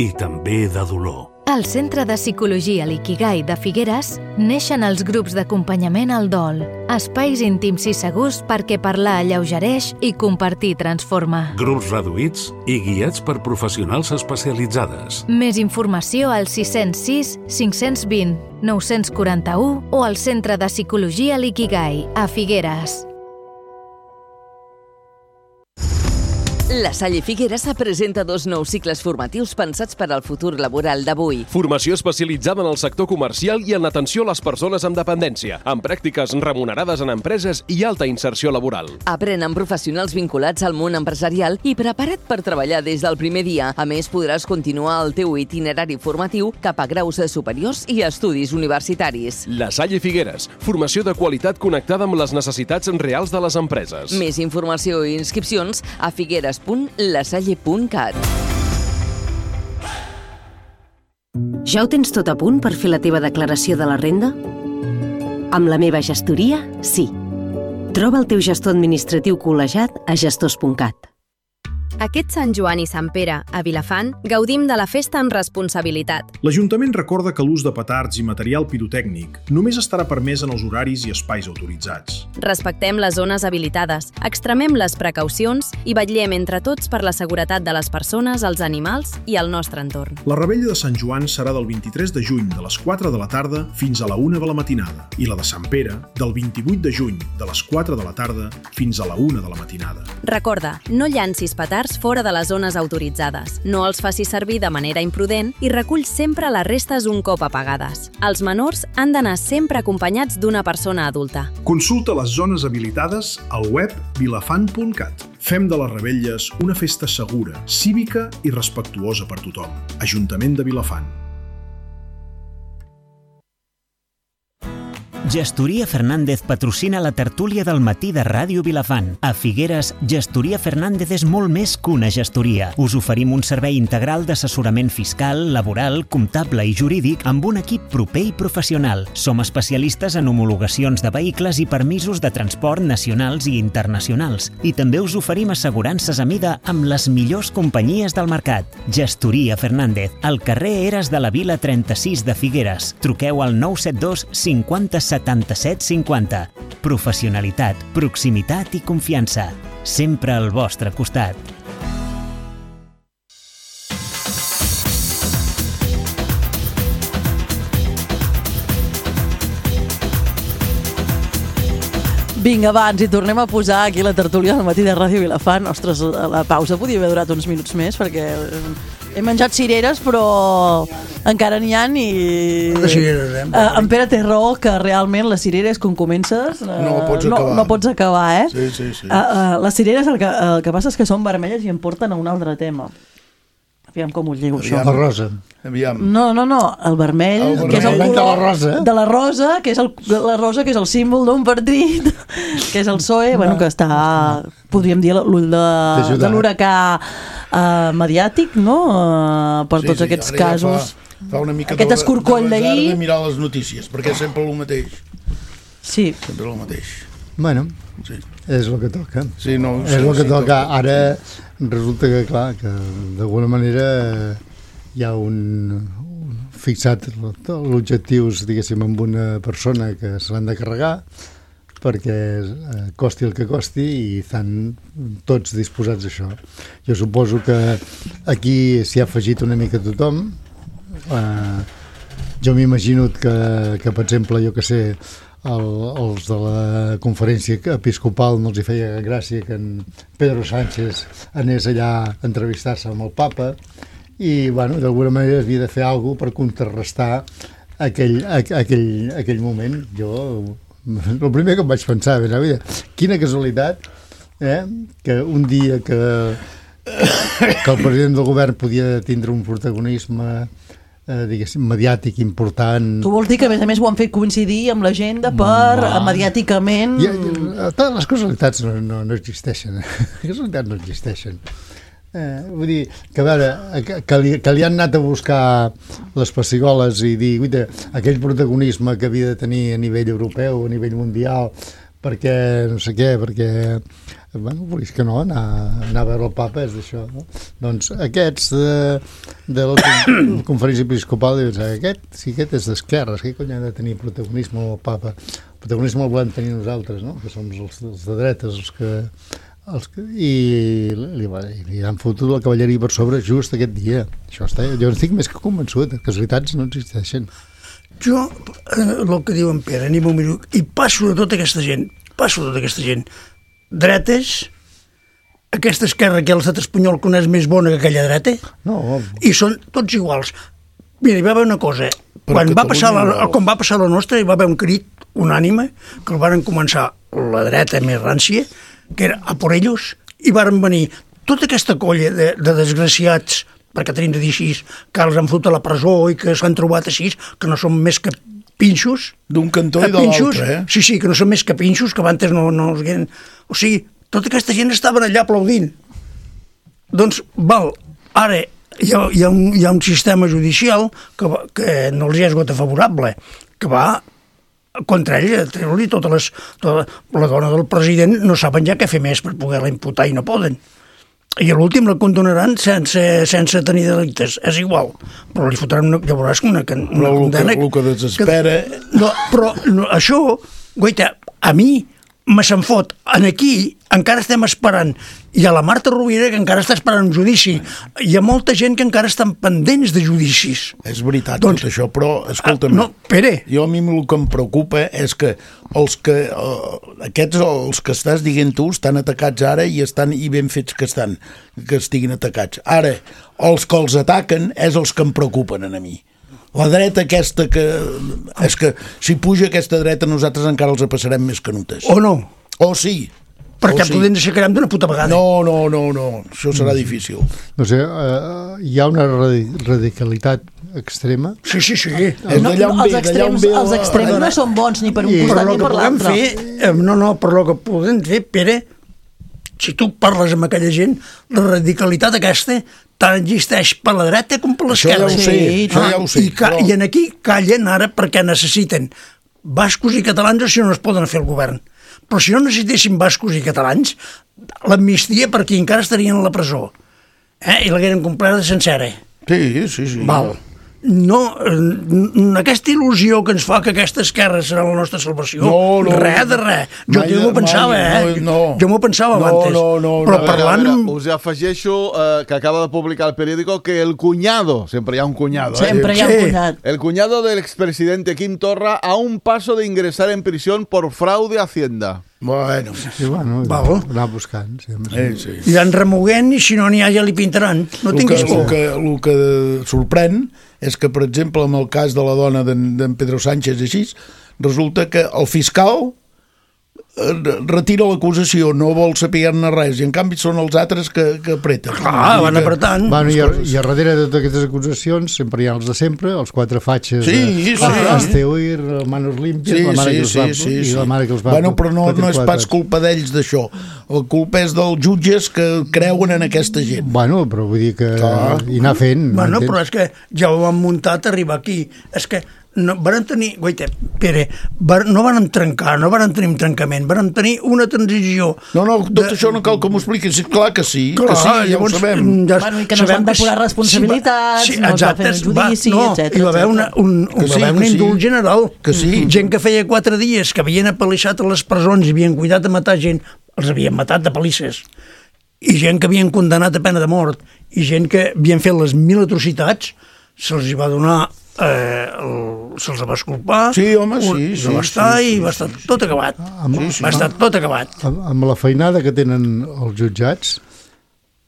i també de dolor. Al Centre de Psicologia L'Ikigai de Figueres neixen els grups d'acompanyament al dol, espais íntims i segurs perquè parlar alleugereix i compartir transforma. Grups reduïts i guiats per professionals especialitzades. Més informació al sis zero sis, cinc dos zero, nou quatre u o al Centre de Psicologia L'Ikigai a Figueres. La Salle Figueres presenta dos nous cicles formatius pensats per al futur laboral d'avui. Formació especialitzada en el sector comercial i en l'atenció a les persones amb dependència, amb pràctiques remunerades en empreses i alta inserció laboral. Aprèn amb professionals vinculats al món empresarial i prepara't per treballar des del primer dia. A més, podràs continuar el teu itinerari formatiu cap a graus superiors i estudis universitaris. La Salle Figueres, formació de qualitat connectada amb les necessitats reals de les empreses. Més informació i inscripcions a figueres punt lasalle punt cat. Ja ho tens tot a punt per fer la teva declaració de la renda? Amb la meva gestoria, sí. Troba el teu gestor administratiu col·legiat a gestors punt cat. Aquest Sant Joan i Sant Pere, a Vilafant, gaudim de la festa amb responsabilitat. L'Ajuntament recorda que l'ús de petards i material pirotècnic només estarà permès en els horaris i espais autoritzats. Respectem les zones habilitades, extremem les precaucions i vetllem entre tots per la seguretat de les persones, els animals i el nostre entorn. La revetlla de Sant Joan serà del vint-i-tres de juny de les quatre de la tarda fins a la una de la matinada i la de Sant Pere del vint-i-vuit de juny de les quatre de la tarda fins a la una de la matinada. Recorda, no llancis petards fora de les zones autoritzades, no els facis servir de manera imprudent i recull sempre les restes un cop apagades. Els menors han d'anar sempre acompanyats d'una persona adulta. Consulta les zones habilitades al web vilafant punt cat. Fem de les revetlles una festa segura, cívica i respectuosa per tothom. Ajuntament de Vilafant. Gestoria Fernández patrocina la tertúlia del matí de Ràdio Vilafant. A Figueres, Gestoria Fernández és molt més que una gestoria. Us oferim un servei integral d'assessorament fiscal, laboral, comptable i jurídic amb un equip proper i professional. Som especialistes en homologacions de vehicles i permisos de transport nacionals i internacionals. I també us oferim assegurances a mida amb les millors companyies del mercat. Gestoria Fernández, al carrer Eres de la Vila trenta-sis de Figueres. Truqueu al nou set dos cinquanta setanta-set cinquanta. Professionalitat, proximitat i confiança. Sempre al vostre costat. Vinga, va, ens hi tornem a posar aquí la tertúlia del matí de Ràdio Vilafant. Ostres, la pausa podia haver durat uns minuts més perquè he menjat cireres, però encara n'hi ha i... De cireres, eh? Uh, en Pere té raó que realment les cireres, quan comences, uh, no, pots no, no pots acabar, eh? Sí, sí, sí. Uh, uh, les cireres, el que, el que passa és que són vermelles i em porten a un altre tema. Aviam com ho lligo, això. La rosa. Aviam. No, no, no, el vermell, el vermell que és el color de la rosa, de la rosa, que és el, la rosa, que és el símbol d'un partit, que és el P S O E, bueno, que està, podríem dir, l'ull de, de l'huracà uh, mediàtic, no?, uh, per sí, tots sí, aquests ja casos. Fa, fa una mica aquest escorcoll d'ahir. de mirar les notícies, perquè és sempre el mateix. Sí. Sempre el mateix. Bueno, sí. És el que toca. Sí, no, és sí, el que sí, toca. toca. Ara resulta que, clar, que d'alguna manera hi ha un, un fixat l'objectius, diguéssim, amb una persona que se l'han de carregar perquè eh, costi el que costi i estan tots disposats a això. Jo suposo que aquí s'hi ha afegit una mica tothom. Eh, jo m'imagino que, que, per exemple, jo que sé, el, els de la conferència episcopal no els hi feia gràcia que en Pedro Sánchez anés allà a entrevistar-se amb el papa i, bueno, d'alguna manera havia de fer alguna cosa per contrarrestar aquell, aquell, aquell moment. Jo, el primer que em vaig pensar, ben, quina casualitat, eh, que un dia que, que el president del govern podia tindre un protagonisme Eh, diguéssim, mediàtic important. Tu vols dir que a més a més ho han fet coincidir amb l'agenda per no. mediàticament... I, i, les casualitats no, no, no existeixen. Les casualitats no existeixen. Eh, vull dir, que a veure, que, que, li, que li han anat a buscar les pessigoles i dir, guita, aquell protagonisme que havia de tenir a nivell europeu, a nivell mundial, perquè no sé què, perquè bueno, volies que no, anar, anar a veure el papa és d'això, no? Doncs aquests de, de la conferència episcopal diuen, aquest, si aquest és d'esquerres, què cony ha de tenir protagonisme el papa? El protagonisme el volem tenir nosaltres, no? Que som els, els de dretes, els que, els que i li, li, li han fotut la cavalleria per sobre just aquest dia. Això està, jo estic més que convençut, casualitats no existeixen. Jo, eh, el que diu en Pere, anem un minut, i passo de tota aquesta gent, passo de tota aquesta gent, dretes, aquesta esquerra que l'estat espanyol coneix més bona que aquella dreta? No. I són tots iguals. Mira, hi va haver una cosa. Quan va, passar la, quan va passar la nostra, hi va haver un crit unànime que el van començar la dreta més rància, que era a por ellos, i varen venir tota aquesta colla de, de desgraciats, perquè tenim de dir així, que els han fotut a la presó i que s'han trobat així, que no són més que pinxos. D'un cantó i de l'altre, eh? Sí, sí, que no són més que pinxos, que abans no, no els hagueren... O sigui, tota aquesta gent estaven allà aplaudint. Doncs, val, ara hi ha, hi ha, un, hi ha un sistema judicial que, va, que no els hi ha esgot favorable, que va contra ells, a treure-li totes les... Tota, la dona del president no saben ja què fer més per poder-la imputar i no poden. I a l'últim la condonaran sense, sense tenir delictes, és igual, però li fotran una, ja veuràs una, una però condena... El que, el que desespera... Que, no, però no, això, guaita, a mi me se'n fot. En aquí encara estem esperant. Hi ha la Marta Rovira que encara està esperant un judici. Hi ha molta gent que encara estan pendents de judicis. És veritat doncs, tot això, però escolta'm, no, Pere. Jo a mi el que em preocupa és que els que uh, aquests, els que estàs dient tu, estan atacats ara i estan i ben fets que estan, que estiguin atacats. Ara, els que els ataquen és els que em preocupen a mi. La dreta aquesta que... És que si puja aquesta dreta nosaltres encara els passarem més canutes. O no. O sí. Perquè sí. Podem aixecarem d'una puta vegada. No, no, no, no. Això serà difícil. No sé, uh, hi ha una radicalitat extrema? Sí, sí, sí. No, no, els extrems, els extrems no són bons ni per un costat ni per l'altre. Fer, no, no, per lo que podem fer, Pere, si tu parles amb aquella gent, la radicalitat aquesta tant existeix per la dreta com per l'esquerra. Això ja ho sé, sí, això ja ho sé. I, ca però... I en aquí callen ara perquè necessiten bascos i catalans o si no es poden fer el govern. Però si no necessitessin bascos i catalans, l'amnistia per aquí encara estarien a la presó. Eh? I l'hagueren completa sencera. Sí, sí, sí. Val. No, aquesta il·lusió que ens fa que aquesta esquerra serà la nostra salvació, no, no, res de res. Jo m'ho pensava, mai, eh? No, jo m'ho pensava no, abans. No, no, però no, parlant... Veure, us afegeixo eh, que acaba de publicar el periódico que el cuñado, sempre hi ha un cuñado, Sempre eh? hi ha un cuñat. El cuñado del expresidente Quim Torra a un paso de ingresar en prisión por fraude a Hacienda. Bueno, sí, bueno, anar buscant. Sí, sí. I van remoguent i si no n'hi ha ja li pintaran. No tinguis por. El que, el que sorprèn és que, per exemple, en el cas de la dona d'en Pedro Sánchez així, resulta que el fiscal retira l'acusació, no vol saber-ne res, i en canvi són els altres que, que apreten. Ah, van apretant. Bueno, i, a, I a darrere de totes aquestes acusacions sempre hi ha els de sempre, els quatre fatxes, sí, de, sí, Esteuir, Manos Limpias, sí, la mare sí, que els va, sí, sí, i la mare que els va... Bueno, però no, no és pas culpa d'ells d'això. La culpa és dels jutges que creuen en aquesta gent. Bueno, però vull dir que... Clar. I anar fent... Bueno, però és que ja ho han muntat arribar aquí. És que no, van tenir, guaita, Pere, van, no van trencar, no van tenir un trencament, van tenir una transició. No, no, tot de... això no cal que m'ho expliquis, clar que sí, clar, que sí, ja llavors, ho sabem. Ja, bueno, i que no es van depurar responsabilitats, sí, no es va fer un judici, va, no, etcètera. Hi va haver una, un, un, sí, va haver un indult sí. general. Que sí. Gent que feia quatre dies que havien apalissat a les presons i havien cuidat de matar gent, els havien matat de palisses. I gent que havien condemnat a pena de mort, i gent que havien fet les mil atrocitats, se'ls va donar... Eh, se'ls va esculpar, sí, home, sí, sí, va estar sí, sí, i va estar tot acabat. Amb, sí, sí. Va estar tot acabat. Amb, amb la feinada que tenen els jutjats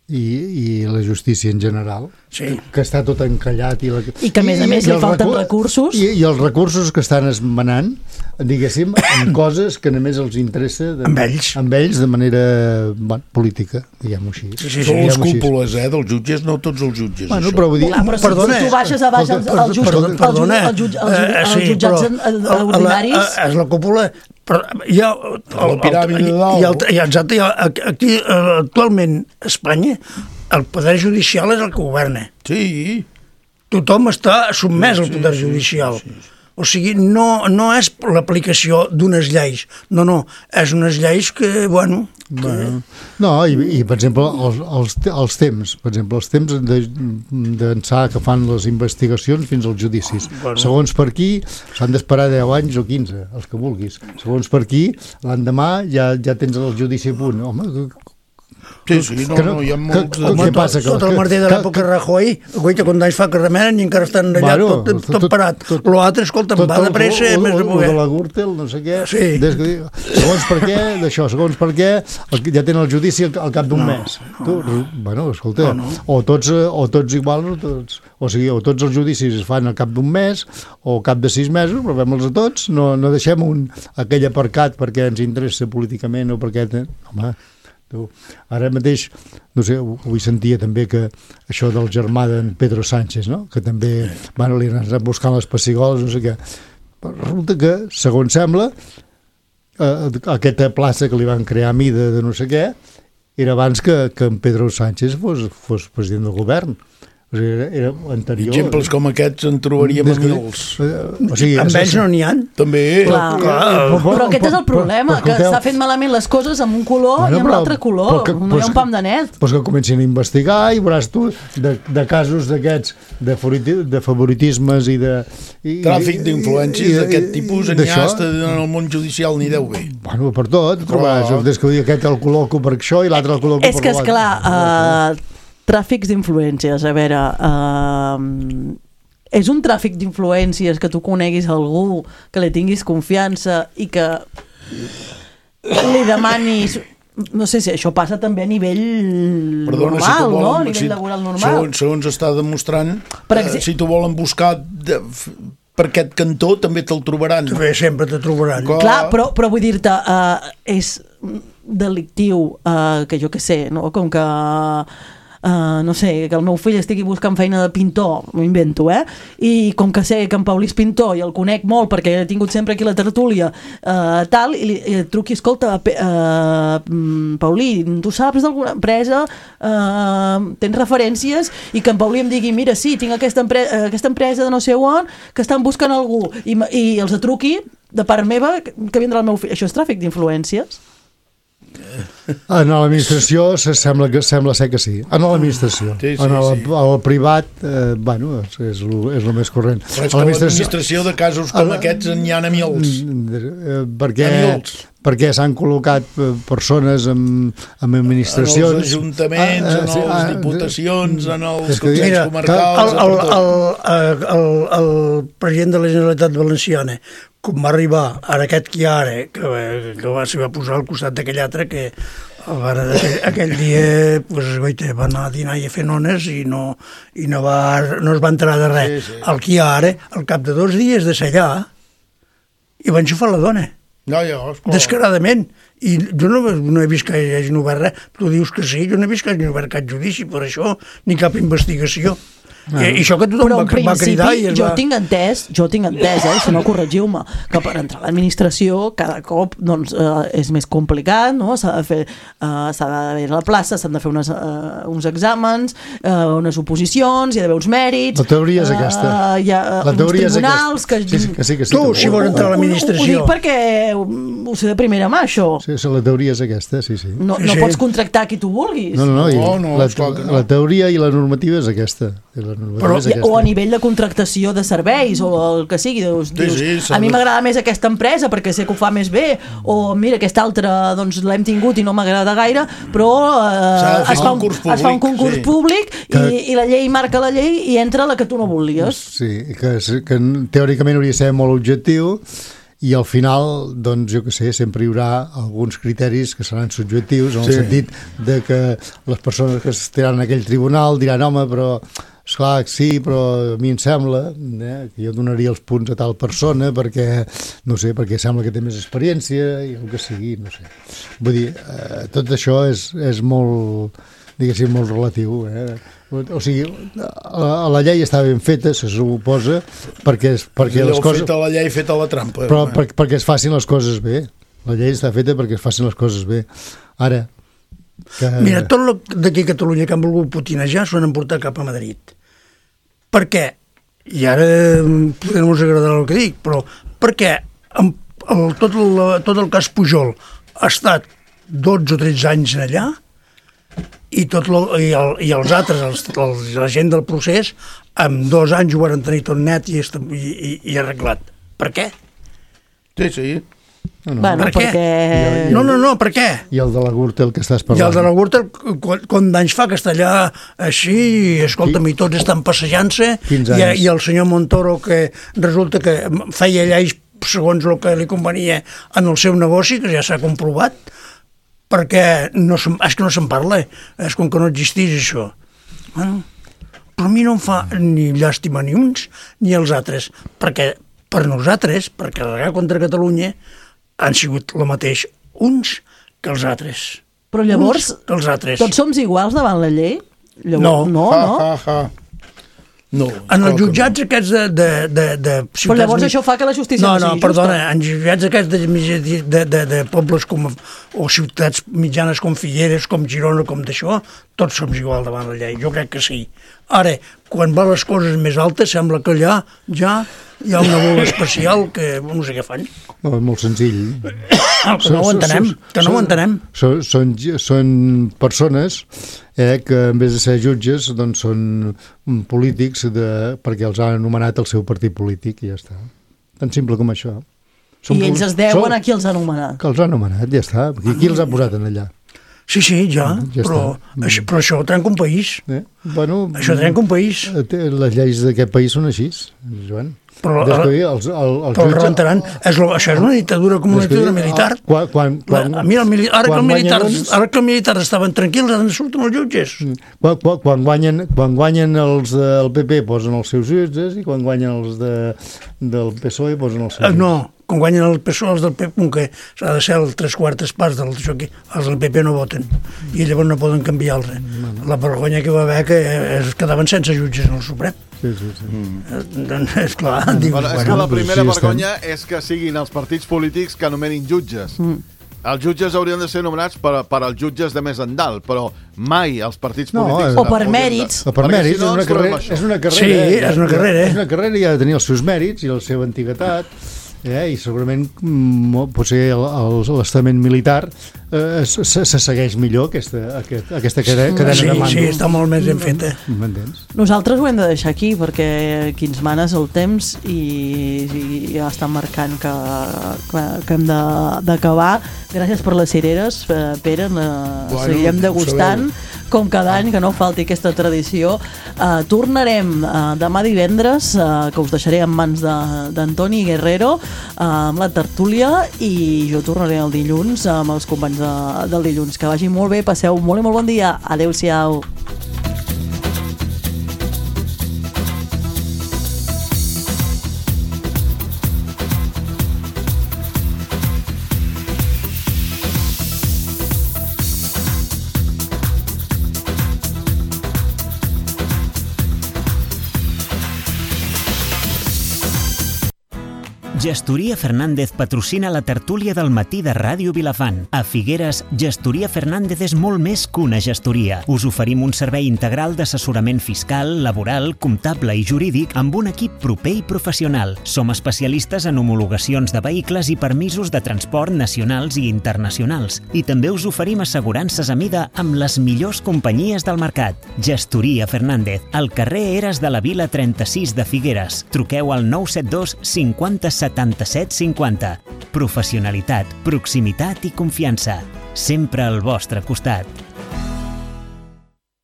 i, i la justícia en general, sí. que està tot encallat i, la... I que a més a més I, li falten recur... recursos i, i els recursos que estan esmenant, diguéssim, en coses que només els interessa de, amb ells amb ells de manera bueno, política, diguem-ho així. Sí, sí, sí, Són les cúpules, eh, dels jutges, no tots els jutges. Bueno, però vull dir... Clar, però si, perdona, si tu baixes a baix els, els, jutge, perdona, perdona, els, jutge, els, jutge, els, els jutjats uh, sí, ordinaris... La, és la cúpula... Però hi ha, el, la piràmide de dalt. Hi ha, hi ha, exacte, hi ha, aquí, actualment, a Espanya, el poder judicial és el que governa. Sí. Tothom està sotmès al poder judicial. Sí, sí, sí. O sigui, no, no és l'aplicació d'unes lleis. No, no, és unes lleis que, bueno... Que... bueno no, i, i per exemple, els, els, els temps, per exemple, els temps d'ençà que fan les investigacions fins als judicis. Bueno. Segons per aquí, s'han d'esperar deu anys o quinze, els que vulguis. Segons per aquí, l'endemà ja, ja tens el judici a punt. Home, Sí, sí, no, no, hi ha molts... Què passa? Tot el martí de l'època Rajoy, guaita, quan anys fa que remenen i encara estan allà tot, tot parat. L'altre, escolta, va de pressa, més de poder. De la Gürtel, no sé què. Sí. Segons per què, d'això, segons per què, ja tenen el judici al cap d'un mes. Bueno, escolta, o tots o tots igual, o tots... O sigui, o tots els judicis es fan al cap d'un mes o al cap de sis mesos, però fem-los a tots, no, no deixem un, aquell aparcat perquè ens interessa políticament o perquè... Home, tu, ara mateix, no sé, avui sentia també que això del germà d'en Pedro Sánchez, no? Que també, bueno, li han anat buscant les pessigoles, no sé què. Però resulta que, segons sembla, eh, aquesta plaça que li van crear a mida de no sé què, era abans que, que en Pedro Sánchez fos, fos president del govern. O sigui, era, era anterior. Exemples com aquests en trobaríem a mils. O sigui, amb ells no n'hi ha. També. Clar. Clar. Però, però aquest és el problema, que s'ha fet malament les coses amb un color bueno, i amb l'altre color. Que, no hi ha un pam de net. Doncs que comencin a investigar i veuràs tu de, de casos d'aquests, de, de favoritismes i de... I, tràfic d'influències d'aquest tipus en ja està en el món judicial ni deu bé. Bueno, per tot. Trobaràs, des que aquest el col·loco per això i l'altre el col·loco és per l'altre. És que, esclar... Uh, tràfics d'influències, a veure, uh, és un tràfic d'influències que tu coneguis algú, que li tinguis confiança i que li demanis, no sé si això passa també a nivell Perdona, normal, si volen, no? A nivell si, laboral normal. Segons, segons està demostrant, eh, si t'ho volen buscar de, per aquest cantó també te'l trobaran. També sempre te trobaran. Clar, Clar però, però vull dir-te, uh, és delictiu, uh, que jo què sé, no? Com que... Uh, no sé, que el meu fill estigui buscant feina de pintor, m'ho invento, eh? I com que sé que en Paulí és pintor i el conec molt perquè he tingut sempre aquí la tertúlia, uh, tal, i, i et truqui, escolta, uh, Paulí, tu saps d'alguna empresa, uh, tens referències, i que en Paulí em digui, mira, sí, tinc aquesta, empre uh, aquesta empresa de no sé on, que estan buscant algú, i, i els truqui de part meva que vindrà el meu fill. Això és tràfic d'influències? En l'administració sembla, que, sembla ser que sí. En l'administració. Sí, sí, en el, sí. el privat, eh, bueno, és, és, lo, és el més corrent. Però és que l'administració de casos com el, aquests n'hi ha a mils. Perquè, perquè s'han col·locat persones en, en administracions... En els ajuntaments, ah, en les ah, diputacions, en els consells mira, comarcals... El, el, el, el, el president de la Generalitat Valenciana, com va arribar, ara aquest que hi ha ara, que, que va, s'hi va posar al costat d'aquell altre, que ara, aquell, aquell dia pues, goita, va anar a dinar i a fer nones i no, i no, va, no es va enterar de res. Sí, sí. El que hi ha ara, al cap de dos dies de ser allà, i va enxufar la dona. No, jo, descaradament. I jo no, no he vist que hi hagin obert res. Tu dius que sí, jo no he vist que hagin obert cap judici per això, ni cap investigació. Ah. I això que tothom va, va cridar i es jo va... tinc entès, jo tinc entès, eh, si no corregiu-me, que per entrar a l'administració cada cop doncs, eh, és més complicat, no? S'ha de fer, eh, s'ha d'haver la plaça, s'han de fer unes, eh, uns exàmens, eh, unes oposicions, hi ha d'haver uns mèrits. La teoria és aquesta. Eh, hi ha la uns tribunals que... Sí, sí, que sí, que sí, tu, si vols entrar a l'administració. Ho, ho dic perquè ho sé de primera mà, això. Sí, la teoria és aquesta, sí, sí. No, no sí. pots contractar qui tu vulguis. No, no, no, no, no la, no. La teoria i la normativa és aquesta. Però, o a nivell de contractació de serveis o el que sigui, dius, sí, sí, dius a mi m'agrada més aquesta empresa perquè sé que ho fa més bé, o mira, aquesta altra doncs l'hem tingut i no m'agrada gaire, però eh, es, fa un, es fa un concurs sí. públic i, que, i la llei marca la llei i entra la que tu no volies. Sí, que, que teòricament hauria de ser molt objectiu i al final, doncs, jo que sé, sempre hi haurà alguns criteris que seran subjectius, en el sí. sentit de que les persones que estaran en aquell tribunal diran, home, però esclar, sí, però a mi em sembla eh, que jo donaria els punts a tal persona perquè, no sé, perquè sembla que té més experiència i el que sigui, no sé. Vull dir, eh, tot això és, és molt, diguéssim, molt relatiu, eh? O sigui, la, la llei està ben feta, se suposa, perquè, perquè les coses... Feta la llei, feta la trampa. Però per, perquè es facin les coses bé. La llei està feta perquè es facin les coses bé. Ara, que... Mira, tot d'aquí a Catalunya que han volgut putinejar s'ho han emportat cap a Madrid. Per què? I ara potser no us agradarà el que dic, però perquè el, tot, el, tot el cas Pujol ha estat dotze o tretze anys allà i, tot lo, i, el, i els altres, els, els, la gent del procés, en dos anys ho van tenir tot net i, i, i arreglat. Per què? Sí, sí. No, no. Bueno, per què? perquè... No, no, no, per què? I el de la Gürtel que estàs I parlant. el de la Gürtel, quan d'anys fa que està allà així, i escolta'm, i tots estan passejant-se, i, i el senyor Montoro, que resulta que feia lleis segons el que li convenia en el seu negoci, que ja s'ha comprovat, perquè no se, és que no se'n parla, és com que no existís això. Bueno, però a mi no em fa ni llàstima ni uns ni els altres, perquè per nosaltres, per carregar contra Catalunya, han sigut el mateix uns que els altres. Però llavors, uns que els altres. Tots som iguals davant la llei? No. Llavors, no, Ha, no. ha, ha. No, en els jutjats no. aquests de, de, de, de ciutats... Però llavors això fa que la justícia no, no sigui no, justa. perdona, en jutjats aquests de, de, de, de pobles com, o ciutats mitjanes com Figueres, com Girona, com d'això, tots som igual davant la llei, jo crec que sí. Ara, quan va les coses més altes, sembla que allà ja hi ha una bola especial que no sé què fan. No, és molt senzill. Que no ho entenem, que no ho entenem. Són, són, són persones eh, que en vez de ser jutges doncs són polítics de, perquè els han anomenat el seu partit polític i ja està. Tan simple com això. Són I ells es deuen són, a qui els ha anomenat. Que els ha anomenat, ja està. Qui, qui els ha posat en allà? Sí, sí, ja, ja però, això, però això trenca un país. Eh? Bueno, això trenca un país. Les lleis d'aquest país són així, Joan. Però, Descuir, els, el, els però el rebentaran. És, això és una dictadura com una dictadura militar. Quan, quan, quan, Mira, el mili ara, que el militar, uns... ara que els militars estaven tranquils, ara surten els jutges. Quan, quan, quan, guanyen, quan guanyen els del P P posen els seus jutges i quan guanyen els de, del P S O E posen els seus jutges. No, quan guanyen el P S O E, els del P P, com que s'ha de ser el tres quartes parts del això aquí, els del P P no voten i llavors no poden canviar-los. La vergonya que va haver que es quedaven sense jutges en el Suprem. Sí, sí, sí. Mm. Doncs, esclar, dius, bueno, és bueno, que la primera sí, vergonya és que siguin els partits polítics que anomenin jutges. Mm. Els jutges haurien de ser nomenats per, per als jutges de més endalt, però mai els partits no, polítics... O per mèrits. O per mèrits, si no, és, una carrera, és una carrera. Sí, eh? és una carrera. És una carrera i ha de tenir els seus mèrits i la seva antiguitat. Eh, i segurament potser l'estament militar eh, se, se segueix millor aquesta, aquest, aquesta cadena, cadena sí, de mando. Sí, està molt més ben feta. M'entens? Nosaltres ho hem de deixar aquí perquè qui ens mana és el temps i, i ja està marcant que, que, que hem d'acabar. Gràcies per les cireres, Pere, bueno, seguirem degustant com cada any, que no falti aquesta tradició. Uh, tornarem uh, demà divendres, uh, que us deixaré en mans d'Antoni Guerrero, uh, amb la tertúlia, i jo tornaré el dilluns amb els companys de, del dilluns. Que vagi molt bé, passeu molt i molt bon dia. Adéu-siau. Gestoria Fernández patrocina la tertúlia del matí de Ràdio Vilafant. A Figueres, Gestoria Fernández és molt més que una gestoria. Us oferim un servei integral d'assessorament fiscal, laboral, comptable i jurídic amb un equip proper i professional. Som especialistes en homologacions de vehicles i permisos de transport nacionals i internacionals. I també us oferim assegurances a mida amb les millors companyies del mercat. Gestoria Fernández, al carrer Eres de la Vila trenta-sis de Figueres. Truqueu al nou set dos cinquanta setanta-set cinquanta. Professionalitat, proximitat i confiança. Sempre al vostre costat.